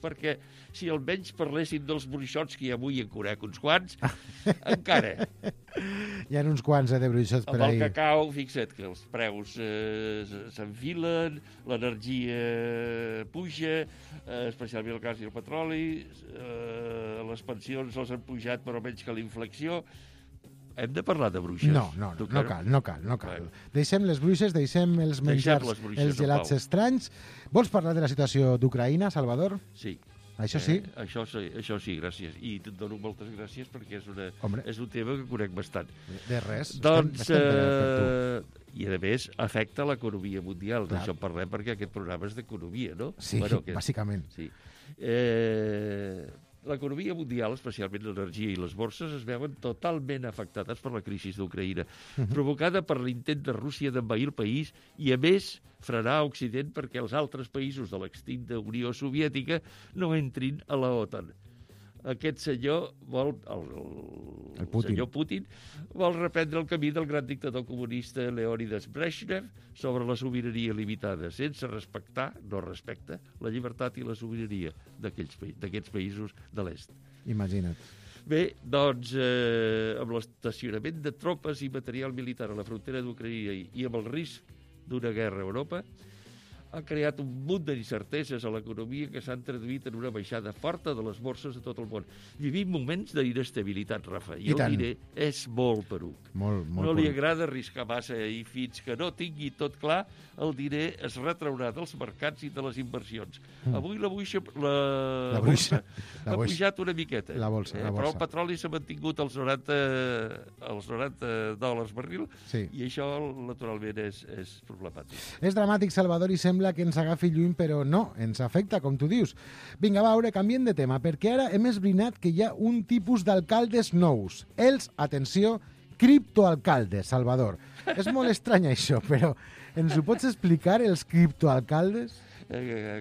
Perquè si almenys parléssim dels bruixots, que ja avui en conec uns quants, encara. Hi ha uns quants de bruixots per ahir. Amb el cacau, fixa't que els preus s'enfilen, l'energia puja, especialment el gas i el petroli, les pensions els han pujat però menys que la inflació. Hem de parlar de bruixes? No cal. Deixem les bruixes, deixem els menjars, els gelats estranys. Vols parlar de la situació d'Ucraïna, Salvador? Sí. Això sí? Això sí, gràcies. I et dono moltes gràcies perquè és un tema que conec bastant. De res. Doncs, i a més, afecta l'economia mundial. D'això en parlem perquè aquest programa és d'economia, no? Sí, bàsicament. Sí. L'economia mundial, especialment l'energia i les borses, es veuen totalment afectades per la crisi d'Ucraïna, provocada per l'intent de Rússia d'envair el país i, a més, frenar Occident perquè els altres països de l'extinta Unió Soviètica no entrin a la OTAN. Aquest senyor senyor Putin vol reprendre el camí del gran dictador comunista Leonidas Brezhnev sobre la sobirania limitada, sense respectar, no respecta, la llibertat i la sobirania d'aquests països de l'est. Imagina't. Bé, doncs, amb l'estacionament de tropes i material militar a la frontera d'Ucraïna i amb el risc d'una guerra a Europa, ha creat un munt d'incerteses a l'economia que s'han traduït en una baixada forta de les borses a tot el món. Vivim moments d'inestabilitat, Rafa, i el diner és molt poruc. No li agrada arriscar massa i fins que no tingui tot clar, el diner es retraurà dels mercats i de les inversions. Avui la borsa ha pujat una miqueta, però el petroli s'ha mantingut als 90 dòlars barril i això, naturalment, és problemàtic. És dramàtic, Salvador, i sembla que ens agafi lluny, però no, ens afecta, com tu dius. Vinga, va, ara canviem de tema, perquè ara hem esbrinat que hi ha un tipus d'alcaldes nous. Els, atenció, criptoalcaldes, Salvador. És molt estrany això, però ens ho pots explicar, els criptoalcaldes?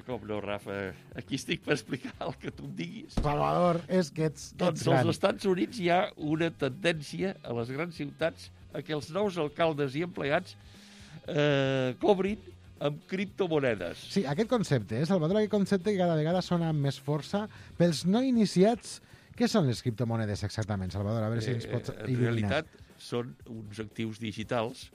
Com no, Rafa? Aquí estic per explicar el que tu em diguis. Salvador, és que ets doncs gran. Als Estats Units hi ha una tendència a les grans ciutats a que els nous alcaldes i empleats cobrin amb criptomonedes. Sí, aquest concepte, Salvador, aquest concepte que cada vegada sona amb més força. Pels no iniciats, què són les criptomonedes exactament, Salvador? A veure si ens pots il·luminar. En realitat són uns actius digitals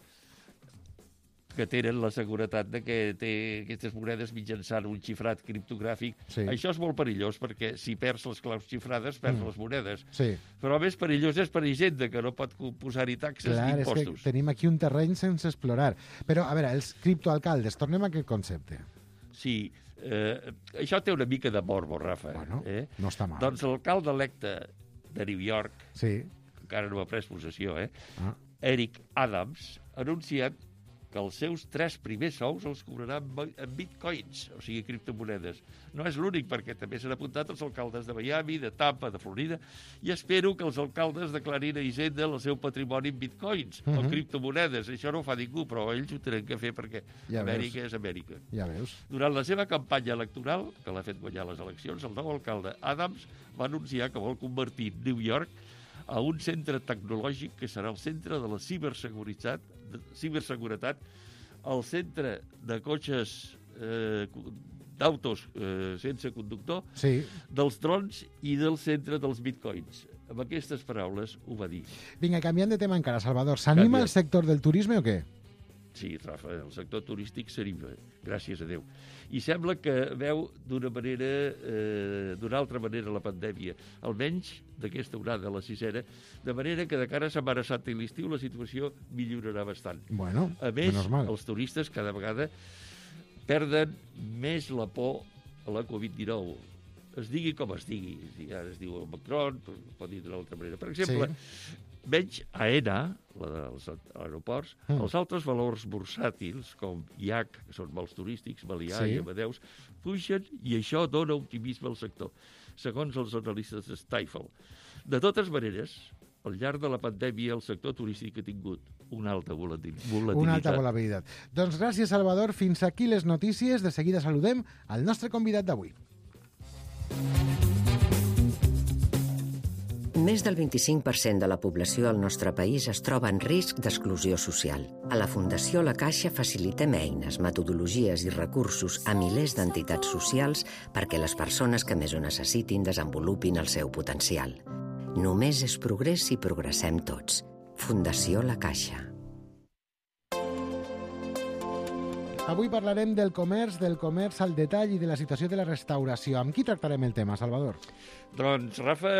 que tenen la seguretat de que té aquestes monedes mitjançant un xifrat criptogràfic. Sí. Això és molt perillós perquè si perds les claus xifrades, perds les monedes. Sí. Però més perillós és per Hisenda, que no pot posar-hi taxes ni impostos. És que tenim aquí un terreny sense explorar. Però, a veure, els criptoalcaldes, tornem a aquest concepte. Sí, això té una mica de morbo, Rafa. Bueno, no està mal. Doncs l'alcalde electe de New York, encara no ha pres possessió, Eric Adams, ha anunciat que els seus 3 primers sous els cobrarà en bitcoins, o sigui, criptomonedes. No és l'únic, perquè també s'han apuntat els alcaldes de Miami, de Tampa, de Florida, i espero que els alcaldes declarin a Hisenda el seu patrimoni en bitcoins o criptomonedes. Això no ho fa ningú, però ells ho tenen que fer perquè Amèrica és Amèrica. Ja veus. Durant la seva campanya electoral, que l'ha fet guanyar les eleccions, el nou alcalde Adams va anunciar que vol convertir New York a un centre tecnològic que serà el centre de la ciberseguretat, el centre de cotxes d'autos sense conductor, dels drons i del centre dels bitcoins. Amb aquestes paraules ho va dir. Vinga, canviant de tema encara, Salvador. S'anima el sector del turisme o què? Sí, Rafa, el sector turístic s'anima, gràcies a Déu. I sembla que veu d'una altra manera la pandèmia, almenys d'aquesta onada, la 6a, de manera que de cara a Setmana Santa i l'estiu la situació millorarà bastant. Bueno, a més, els turistes cada vegada perden més la por a la Covid-19. Es digui com es digui. Ara es diu Omicron, pot dir d'una altra manera. Per exemple, menys AENA, la dels aeroports, els altres valors bursàtils, com IAC, que són vols turístics, Melià i Amadeus, pugen i això dona optimisme al sector, segons els analistes de Stifel. De totes maneres, al llarg de la pandèmia, el sector turístic ha tingut una alta volatilitat. Una alta volatilitat. Doncs gràcies, Salvador. Fins aquí les notícies. De seguida saludem al nostre convidat d'avui. Més del 25% de la població al nostre país es troba en risc d'exclusió social. A la Fundació La Caixa facilitem eines, metodologies i recursos a milers d'entitats socials perquè les persones que més ho necessitin desenvolupin el seu potencial. Només és progrés si progressem tots. Fundació La Caixa. Avui parlarem del comerç al detall i de la situació de la restauració. Amb qui tractarem el tema, Salvador? Doncs, Rafa,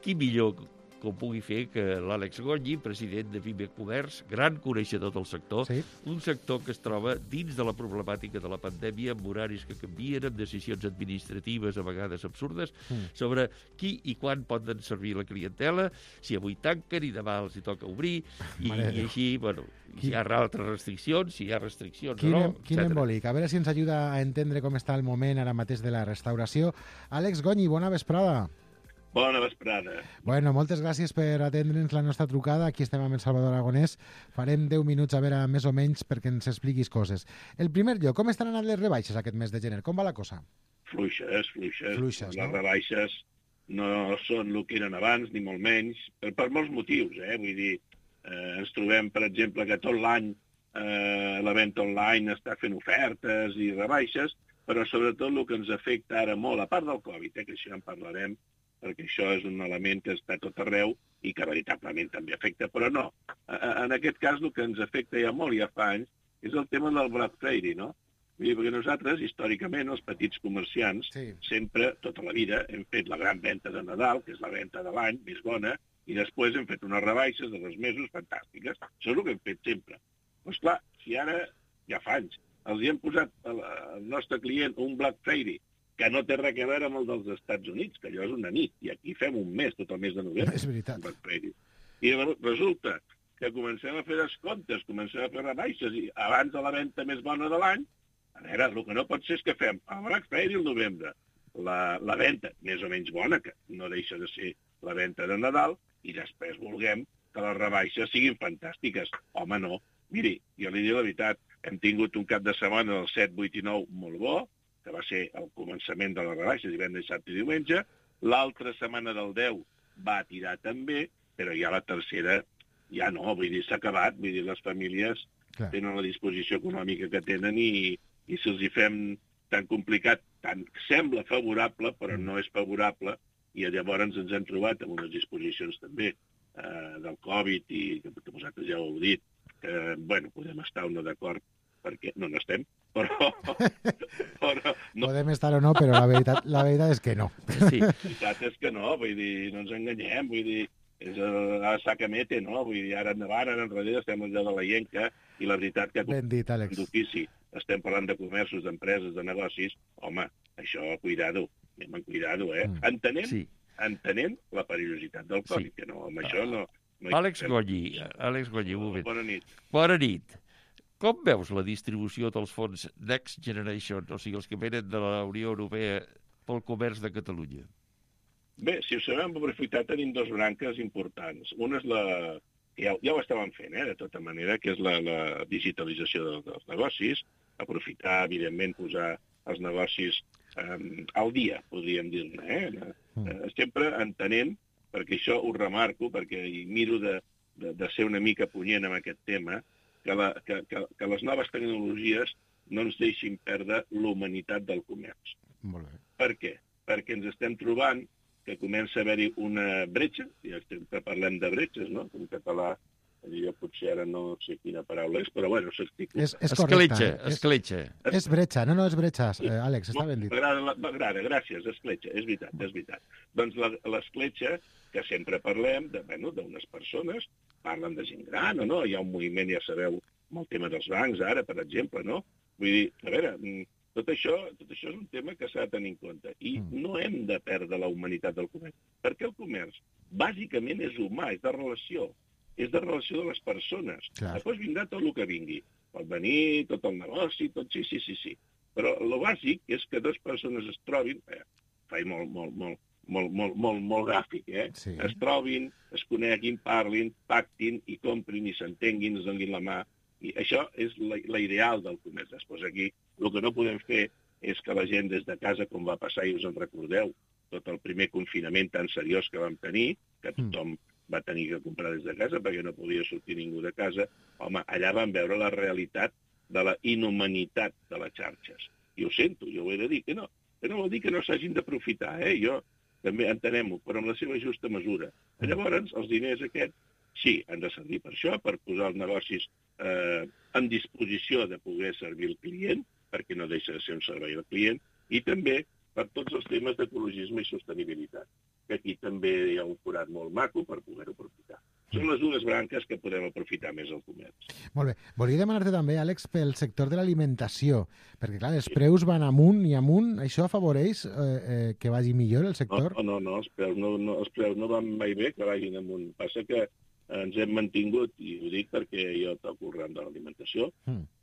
qui millor que ho pugui fer que l'Àlex Gonyi, president de Pime Comerç, gran coneixedor del sector, un sector que es troba dins de la problemàtica de la pandèmia, amb horaris que canvien, amb decisions administratives a vegades absurdes, sobre qui i quan poden servir la clientela, si avui tanquen i demà els hi toca obrir, i així, bueno, si hi ha altres restriccions, si hi ha restriccions o no, etc. Quin embolic. A veure si ens ajuda a entendre com està el moment ara mateix de la restauració. Àlex Gonyi, bona vesprada. Bona vesprada. Bueno, moltes gràcies per atendre'ns la nostra trucada. Aquí estem amb el Salvador Aragonès. Farem 10 minuts, a veure, més o menys, perquè ens expliquis coses. El primer lloc, com estan anant les rebaixes aquest mes de gener? Com va la cosa? Fluixes. Les rebaixes no són el que eren abans, ni molt menys, per molts motius, Vull dir, ens trobem, per exemple, que tot l'any la venda online està fent ofertes i rebaixes, però sobretot el que ens afecta ara molt, a part del Covid, que això ja en parlarem, perquè això és un element que està tot arreu i que veritablement també afecta, però no. En aquest cas, el que ens afecta ja molt, ja fa anys, és el tema del Black Friday, no? Vull dir, perquè nosaltres, històricament, els petits comerciants, sempre, tota la vida, hem fet la gran venda de Nadal, que és la venda de l'any més bona, i després hem fet unes rebaixes de 2 mesos fantàstiques. Això és el que hem fet sempre. Però, esclar, si ara, ja fa anys, els hi hem posat al nostre client un Black Friday, que no té res a veure amb el dels Estats Units, que allò és una nit, i aquí fem un mes, tot el mes de novembre. És veritat. I resulta que comencem a fer descomptes, comencem a fer rebaixes, i abans de la venda més bona de l'any, a veure, el que no pot ser és que fem el Black Friday al novembre, la venda més o menys bona, que no deixa de ser la venda de Nadal, i després vulguem que les rebaixes siguin fantàstiques. Home, no. Miri, jo li dic la veritat, hem tingut un cap de setmana del 7, 8 i 9 molt bo, que va ser el començament de les rebaixes, divendres, dissabte i diumenge. L'altra setmana del 10 va tirar també, però ja la tercera ja no, vull dir, s'ha acabat. Vull dir, les famílies tenen la disposició econòmica que tenen i si els hi fem tan complicat, tant sembla favorable, però no és favorable, i llavors ens hem trobat amb unes disposicions també del Covid, i que vosaltres ja ho heu dit, que, bueno, podem estar o no d'acord, perquè no n'estem, però no. Podem estar o no, però la veritat és que no. Sí. La veritat és que no, vull dir, no ens enganyem, vull dir, és a sacamete, no? Vull dir, ara endavant, ara enrere, estem allà de la llenca, i la veritat que d'ofici estem parlant de comerços, d'empreses, de negocis, home, això, cuidado, anem amb cuidado, entenent la perillositat del Covid, que no, amb això no... Àlex Gonyi, un moment. Bona nit. Bona nit. Com veus la distribució dels fons Next Generation, o sigui, els que venen de la Unió Europea pel comerç de Catalunya? Bé, si ho sabem aprofitar, tenim dues branques importants. Una és la que ja ho estàvem fent, de tota manera, que és la digitalització dels negocis, aprofitar, evidentment, posar els negocis al dia, podríem dir-ne. Sempre entenent, perquè això ho remarco, perquè miro de ser una mica punyent amb aquest tema, que les noves tecnologies no ens deixin perdre l'humanitat del comerç. Molt bé. Per què? Perquè ens estem trobant que comença a haver-hi una bretxa, ja sempre parlem de bretxes, no? En català, jo potser ara no sé quina paraula és, però bueno, s'articula. És correcte. Escletxa. És bretxa, no és bretxes, Àlex, està ben dit. M'agrada, gràcies, escletxa, és veritat. Doncs l'escletxa, que sempre parlem d'unes persones, parlen de gent gran o no, hi ha un moviment, ja sabeu, amb el tema dels bancs ara, per exemple, no? Vull dir, a veure, tot això és un tema que s'ha de tenir en compte. I no hem de perdre la humanitat del comerç. Perquè el comerç, bàsicament, és humà, és de relació. És de relació de les persones. Després vindrà tot el que vingui. Pot venir tot el negoci, tot sí. Però el bàsic és que dues persones es trobin, faig molt gràfic, Sí. Es trobin, es coneguin, parlin, pactin i comprin i s'entenguin, es donin la mà. I això és l'ideal del comerç. Després aquí el que no podem fer és que la gent des de casa, com va passar, i us en recordeu, tot el primer confinament tan seriós que vam tenir, que tothom va tenir que comprar des de casa perquè no podia sortir ningú de casa, home, allà vam veure la realitat de la inhumanitat de les xarxes. I ho sento, jo ho he de dir, que no vol dir que no s'hagin d'aprofitar, jo també entenem-ho, però amb la seva justa mesura. Llavors, els diners aquests, sí, han de servir per això, per posar els negocis en disposició de poder servir el client, perquè no deixa de ser un servei al client, i també per tots els temes d'ecologisme i sostenibilitat, que aquí també hi ha un forat molt maco per poder-ho aprofitar. Són les dues branques que podem aprofitar més al comerç. Molt bé. Volia demanar-te també, Àlex, pel sector de l'alimentació, perquè, clar, els preus van amunt i amunt. Això afavoreix que vagi millor el sector? No, els preus no van mai bé que vagin amunt. Passa que ens hem mantingut, i ho dic perquè jo toco el ram de l'alimentació,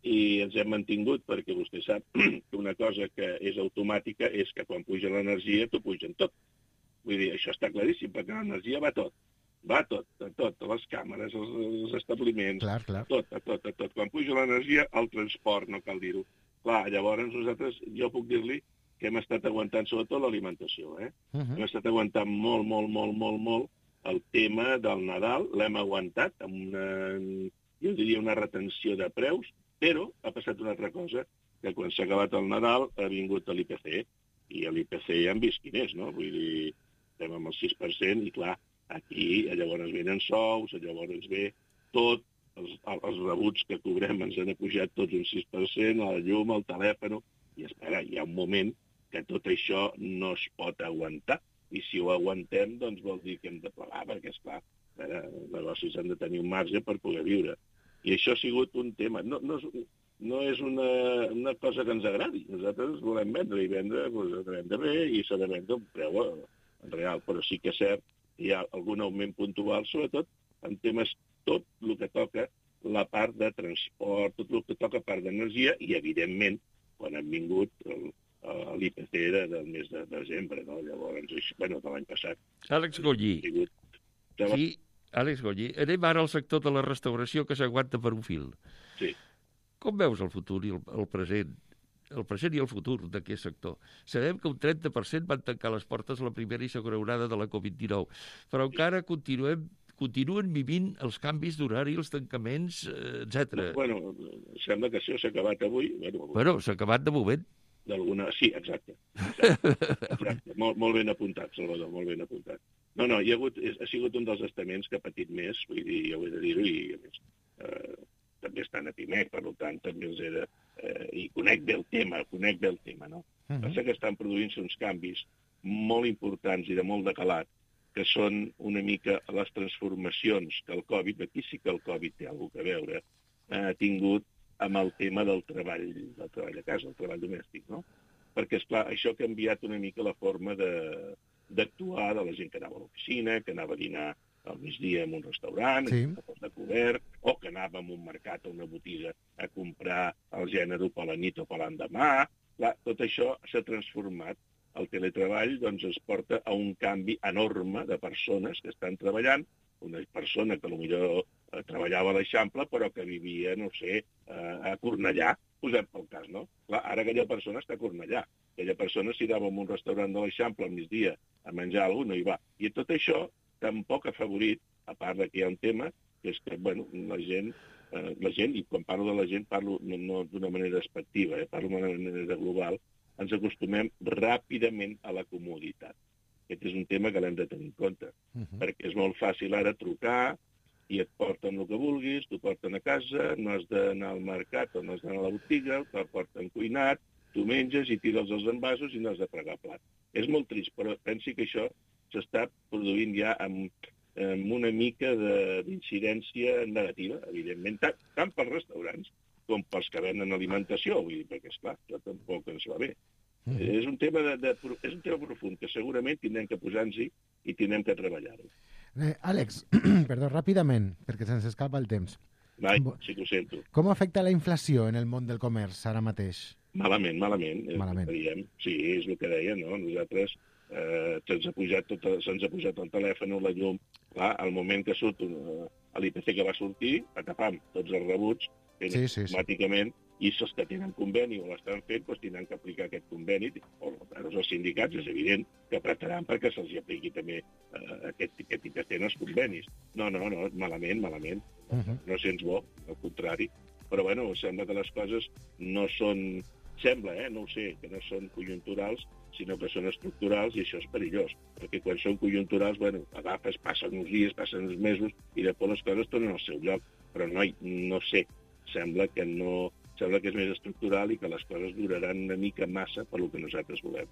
i ens hem mantingut perquè vostè sap que una cosa que és automàtica és que quan puja l'energia t'ho pugen tot. Vull dir, això està claríssim, perquè l'energia va tot. Va tot, les càmeres, els establiments, tot. Quan puja l'energia, el transport, no cal dir-ho. Clar, llavors nosaltres, jo puc dir-li que hem estat aguantant sobretot l'alimentació, Hem estat aguantant molt el tema del Nadal, l'hem aguantat amb jo diria una retenció de preus, però ha passat una altra cosa, que quan s'ha acabat el Nadal ha vingut l'IPC, i a l'IPC ja hem vist quin és, no? Vull dir, estem amb el 6%, i clar, aquí llavors venen sous, llavors ve tot, els rebuts que cobrem ens han pujat tots un 6%, la llum, el telèfon, i espera, hi ha un moment que tot això no es pot aguantar, i si ho aguantem, doncs vol dir que hem de plegar, perquè, esclar, els negocis han de tenir un marge per poder viure. I això ha sigut un tema. No és una cosa que ens agradi. Nosaltres volem vendre, i vendre, doncs, vendre bé, i s'ha de vendre un preu real. Però sí que és cert que hi ha algun augment puntual, sobretot en temes tot el que toca la part de transport, tot el que toca part d'energia, i, evidentment, quan han vingut l'IPC del mes de desembre, no? Llavors, de l'any passat. Àlex Gollí. Sí, Àlex Gollí. Anem ara al sector de la restauració, que s'aguanta per un fil. Sí. Com veus el futur i el present i el futur d'aquest sector? Sabem que un 30% van tancar les portes la primera i segona onada de la Covid-19, però encara continuen vivint els canvis d'horari, els tancaments, etc. Bueno, sembla que això s'ha acabat avui. Bueno, s'ha acabat de moment. Sí, exacte. Molt ben apuntat, Salvador, molt ben apuntat. No, ha sigut un dels estaments que ha patit més, vull dir, jo ho he de dir-ho, i a més també estan a Pimec, per tant, també els he de... I conec bé el tema, no? Passa que estan produint-se uns canvis molt importants i de molt de calat, que són una mica les transformacions que el Covid, aquí sí que el Covid té alguna cosa a veure, ha tingut amb el tema del treball a casa, el treball domèstic, no? Perquè, esclar, això ha canviat una mica la forma d'actuar de la gent que anava a l'oficina, que anava a dinar al migdia en un restaurant, a obert, o que anàvem a un mercat o una botiga a comprar el gènere per la nit o per l'endemà. Clar, tot això s'ha transformat. El teletreball doncs, es porta a un canvi enorme de persones que estan treballant. Una persona que potser treballava a l'Eixample però que vivia, no sé, a Cornellà, posem pel cas, no? Clar, ara aquella persona està a Cornellà. Aquella persona s'hi anava a un restaurant de l'Eixample al migdia a menjar alguna cosa, no hi va. I tot això tampoc ha favorit, a part que hi ha un tema, que és que, bueno, la gent, i quan parlo de la gent parlo no d'una manera despectiva, parlo d'una manera global, ens acostumem ràpidament a la comoditat. Aquest és un tema que l'hem de tenir en compte, perquè és molt fàcil ara trucar i et porten el que vulguis, t'ho porten a casa, no has d'anar al mercat o no has d'anar a la botiga, t'ho porten cuinat, tu menges i tires els envasos i no has de fregar plat. És molt trist, però pensi que això s'està produint ja amb una mica d'incidència negativa, evidentment, tant pels restaurants com pels que venen alimentació, vull dir, perquè, esclar, això tampoc ens va bé. És un tema profund que segurament tindrem que posar-nos-hi i tindrem que treballar-ho. Àlex, perdó, ràpidament, perquè se'ns escapa el temps. Sí que ho sento. Com afecta la inflació en el món del comerç ara mateix? Malament. Sí, és el que deia, no? Nosaltres se'ns ha pujat el telèfon o la llum. Clar, al moment que surt l'IPC que va sortir, patapam, tots els rebuts, automàticament, i els que tenen conveni o l'estan fent, doncs tindran que aplicar aquest conveni, o els sindicats, és evident que apretaran perquè se'ls apliqui també aquest que tenen els convenis. No, malament. No sents bo, al contrari. Però, bueno, sembla que les coses no són... Sembla, no ho sé, que no són conjunturals, sinó que són estructurals, i això és perillós. Perquè quan són conjunturals, bueno, agafes, passen uns dies, passen uns mesos, i després les coses tornen al seu lloc. Però no sé, sembla que és més estructural i que les coses duraran una mica massa per lo que nosaltres volem.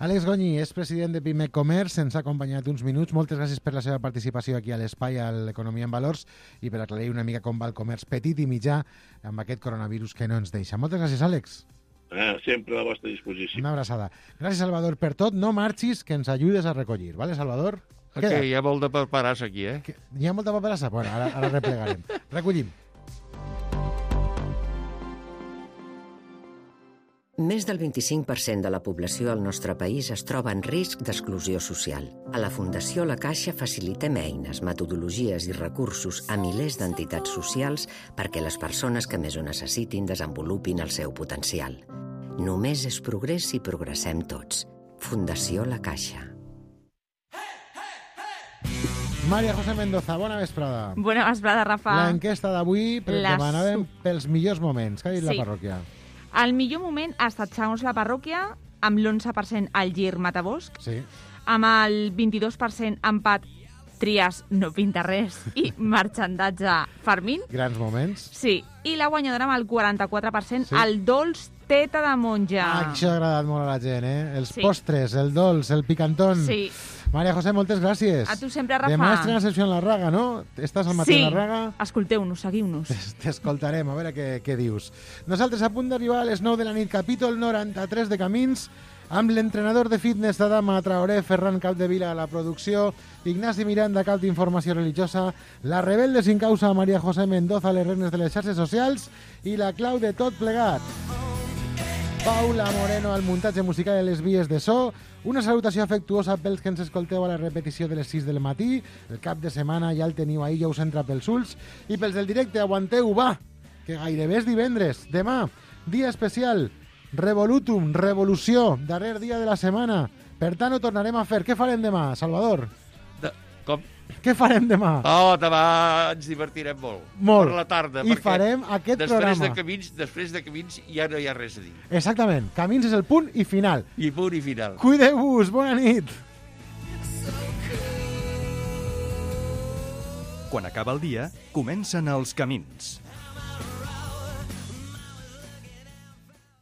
Àlex Goñi és president de Pimec Comerç, ens ha acompanyat uns minuts. Moltes gràcies per la seva participació aquí a l'Espai, a l'Economia en Valors, i per aclarir una mica com va el comerç petit i mitjà amb aquest coronavirus que no ens deixa. Moltes gràcies, Àlex. Sempre a la vostra disposició. Una abraçada. Gràcies, Salvador, per tot. No marxis, que ens ajudes a recollir. Vale, Salvador? Hi ha molt de paperassa aquí, Hi ha molta paperassa? Bueno, ara replegarem. Recollim. Més del 25% de la població al nostre país es troba en risc d'exclusió social. A la Fundació La Caixa facilitem eines, metodologies i recursos a milers d'entitats socials perquè les persones que més ho necessitin desenvolupin el seu potencial. Només és progrés si progressem tots. Fundació La Caixa. Maria José Mendoza, bona vesprada. Bona vesprada, Rafa. L'enquesta d'avui demanàvem pels millors moments. Què ha dit la parròquia? El millor moment ha estat, segons la parròquia, amb l'11% al Gir Matabosc, amb el 22% empat Trias no pinta res i marxandatge Fermín. Grans moments. Sí, i la guanyadora amb el 44%, el dolç Teta de Monja. Això ha agradat molt a la gent, Els postres, el dolç, el picantón. Sí. Maria José, moltes gràcies. A tu sempre, Rafa. Demà estrena secció en la Raga, no? Estàs al matí en la Raga? Sí, escolteu-nos, seguiu-nos. T'escoltarem, a veure què dius. Nosaltres a punt d'arribar a les 9 de la nit, capítol 93 de Camins, amb l'entrenador de fitness d'Adama Traoré, Ferran Capdevila a la producció, Ignasi Miranda, cap d'informació religiosa, la rebelde sin causa Maria José Mendoza a les regnes de les xarxes socials i la clau de tot plegat. Paula Moreno al muntatge musical de les vies de so. Una salutació afectuosa pels que ens escolteu a la repetició de les 6 del matí. El cap de setmana ja el teniu ahí, ja us entra pels ulls. I pels del directe, aguanteu, va, que gairebé és divendres. Demà, dia especial, Revolutum, revolució, darrer dia de la setmana. Per tant, ho tornarem a fer. Què farem demà, Salvador? Com? Què farem demà? Demà ens divertirem molt. Molt. Per la tarda. I farem aquest programa. Després de Camins ja no hi ha res a dir. Exactament. Camins és el punt i final. I punt i final. Cuideu-vos. Bona nit. Quan acaba el dia, comencen els camins.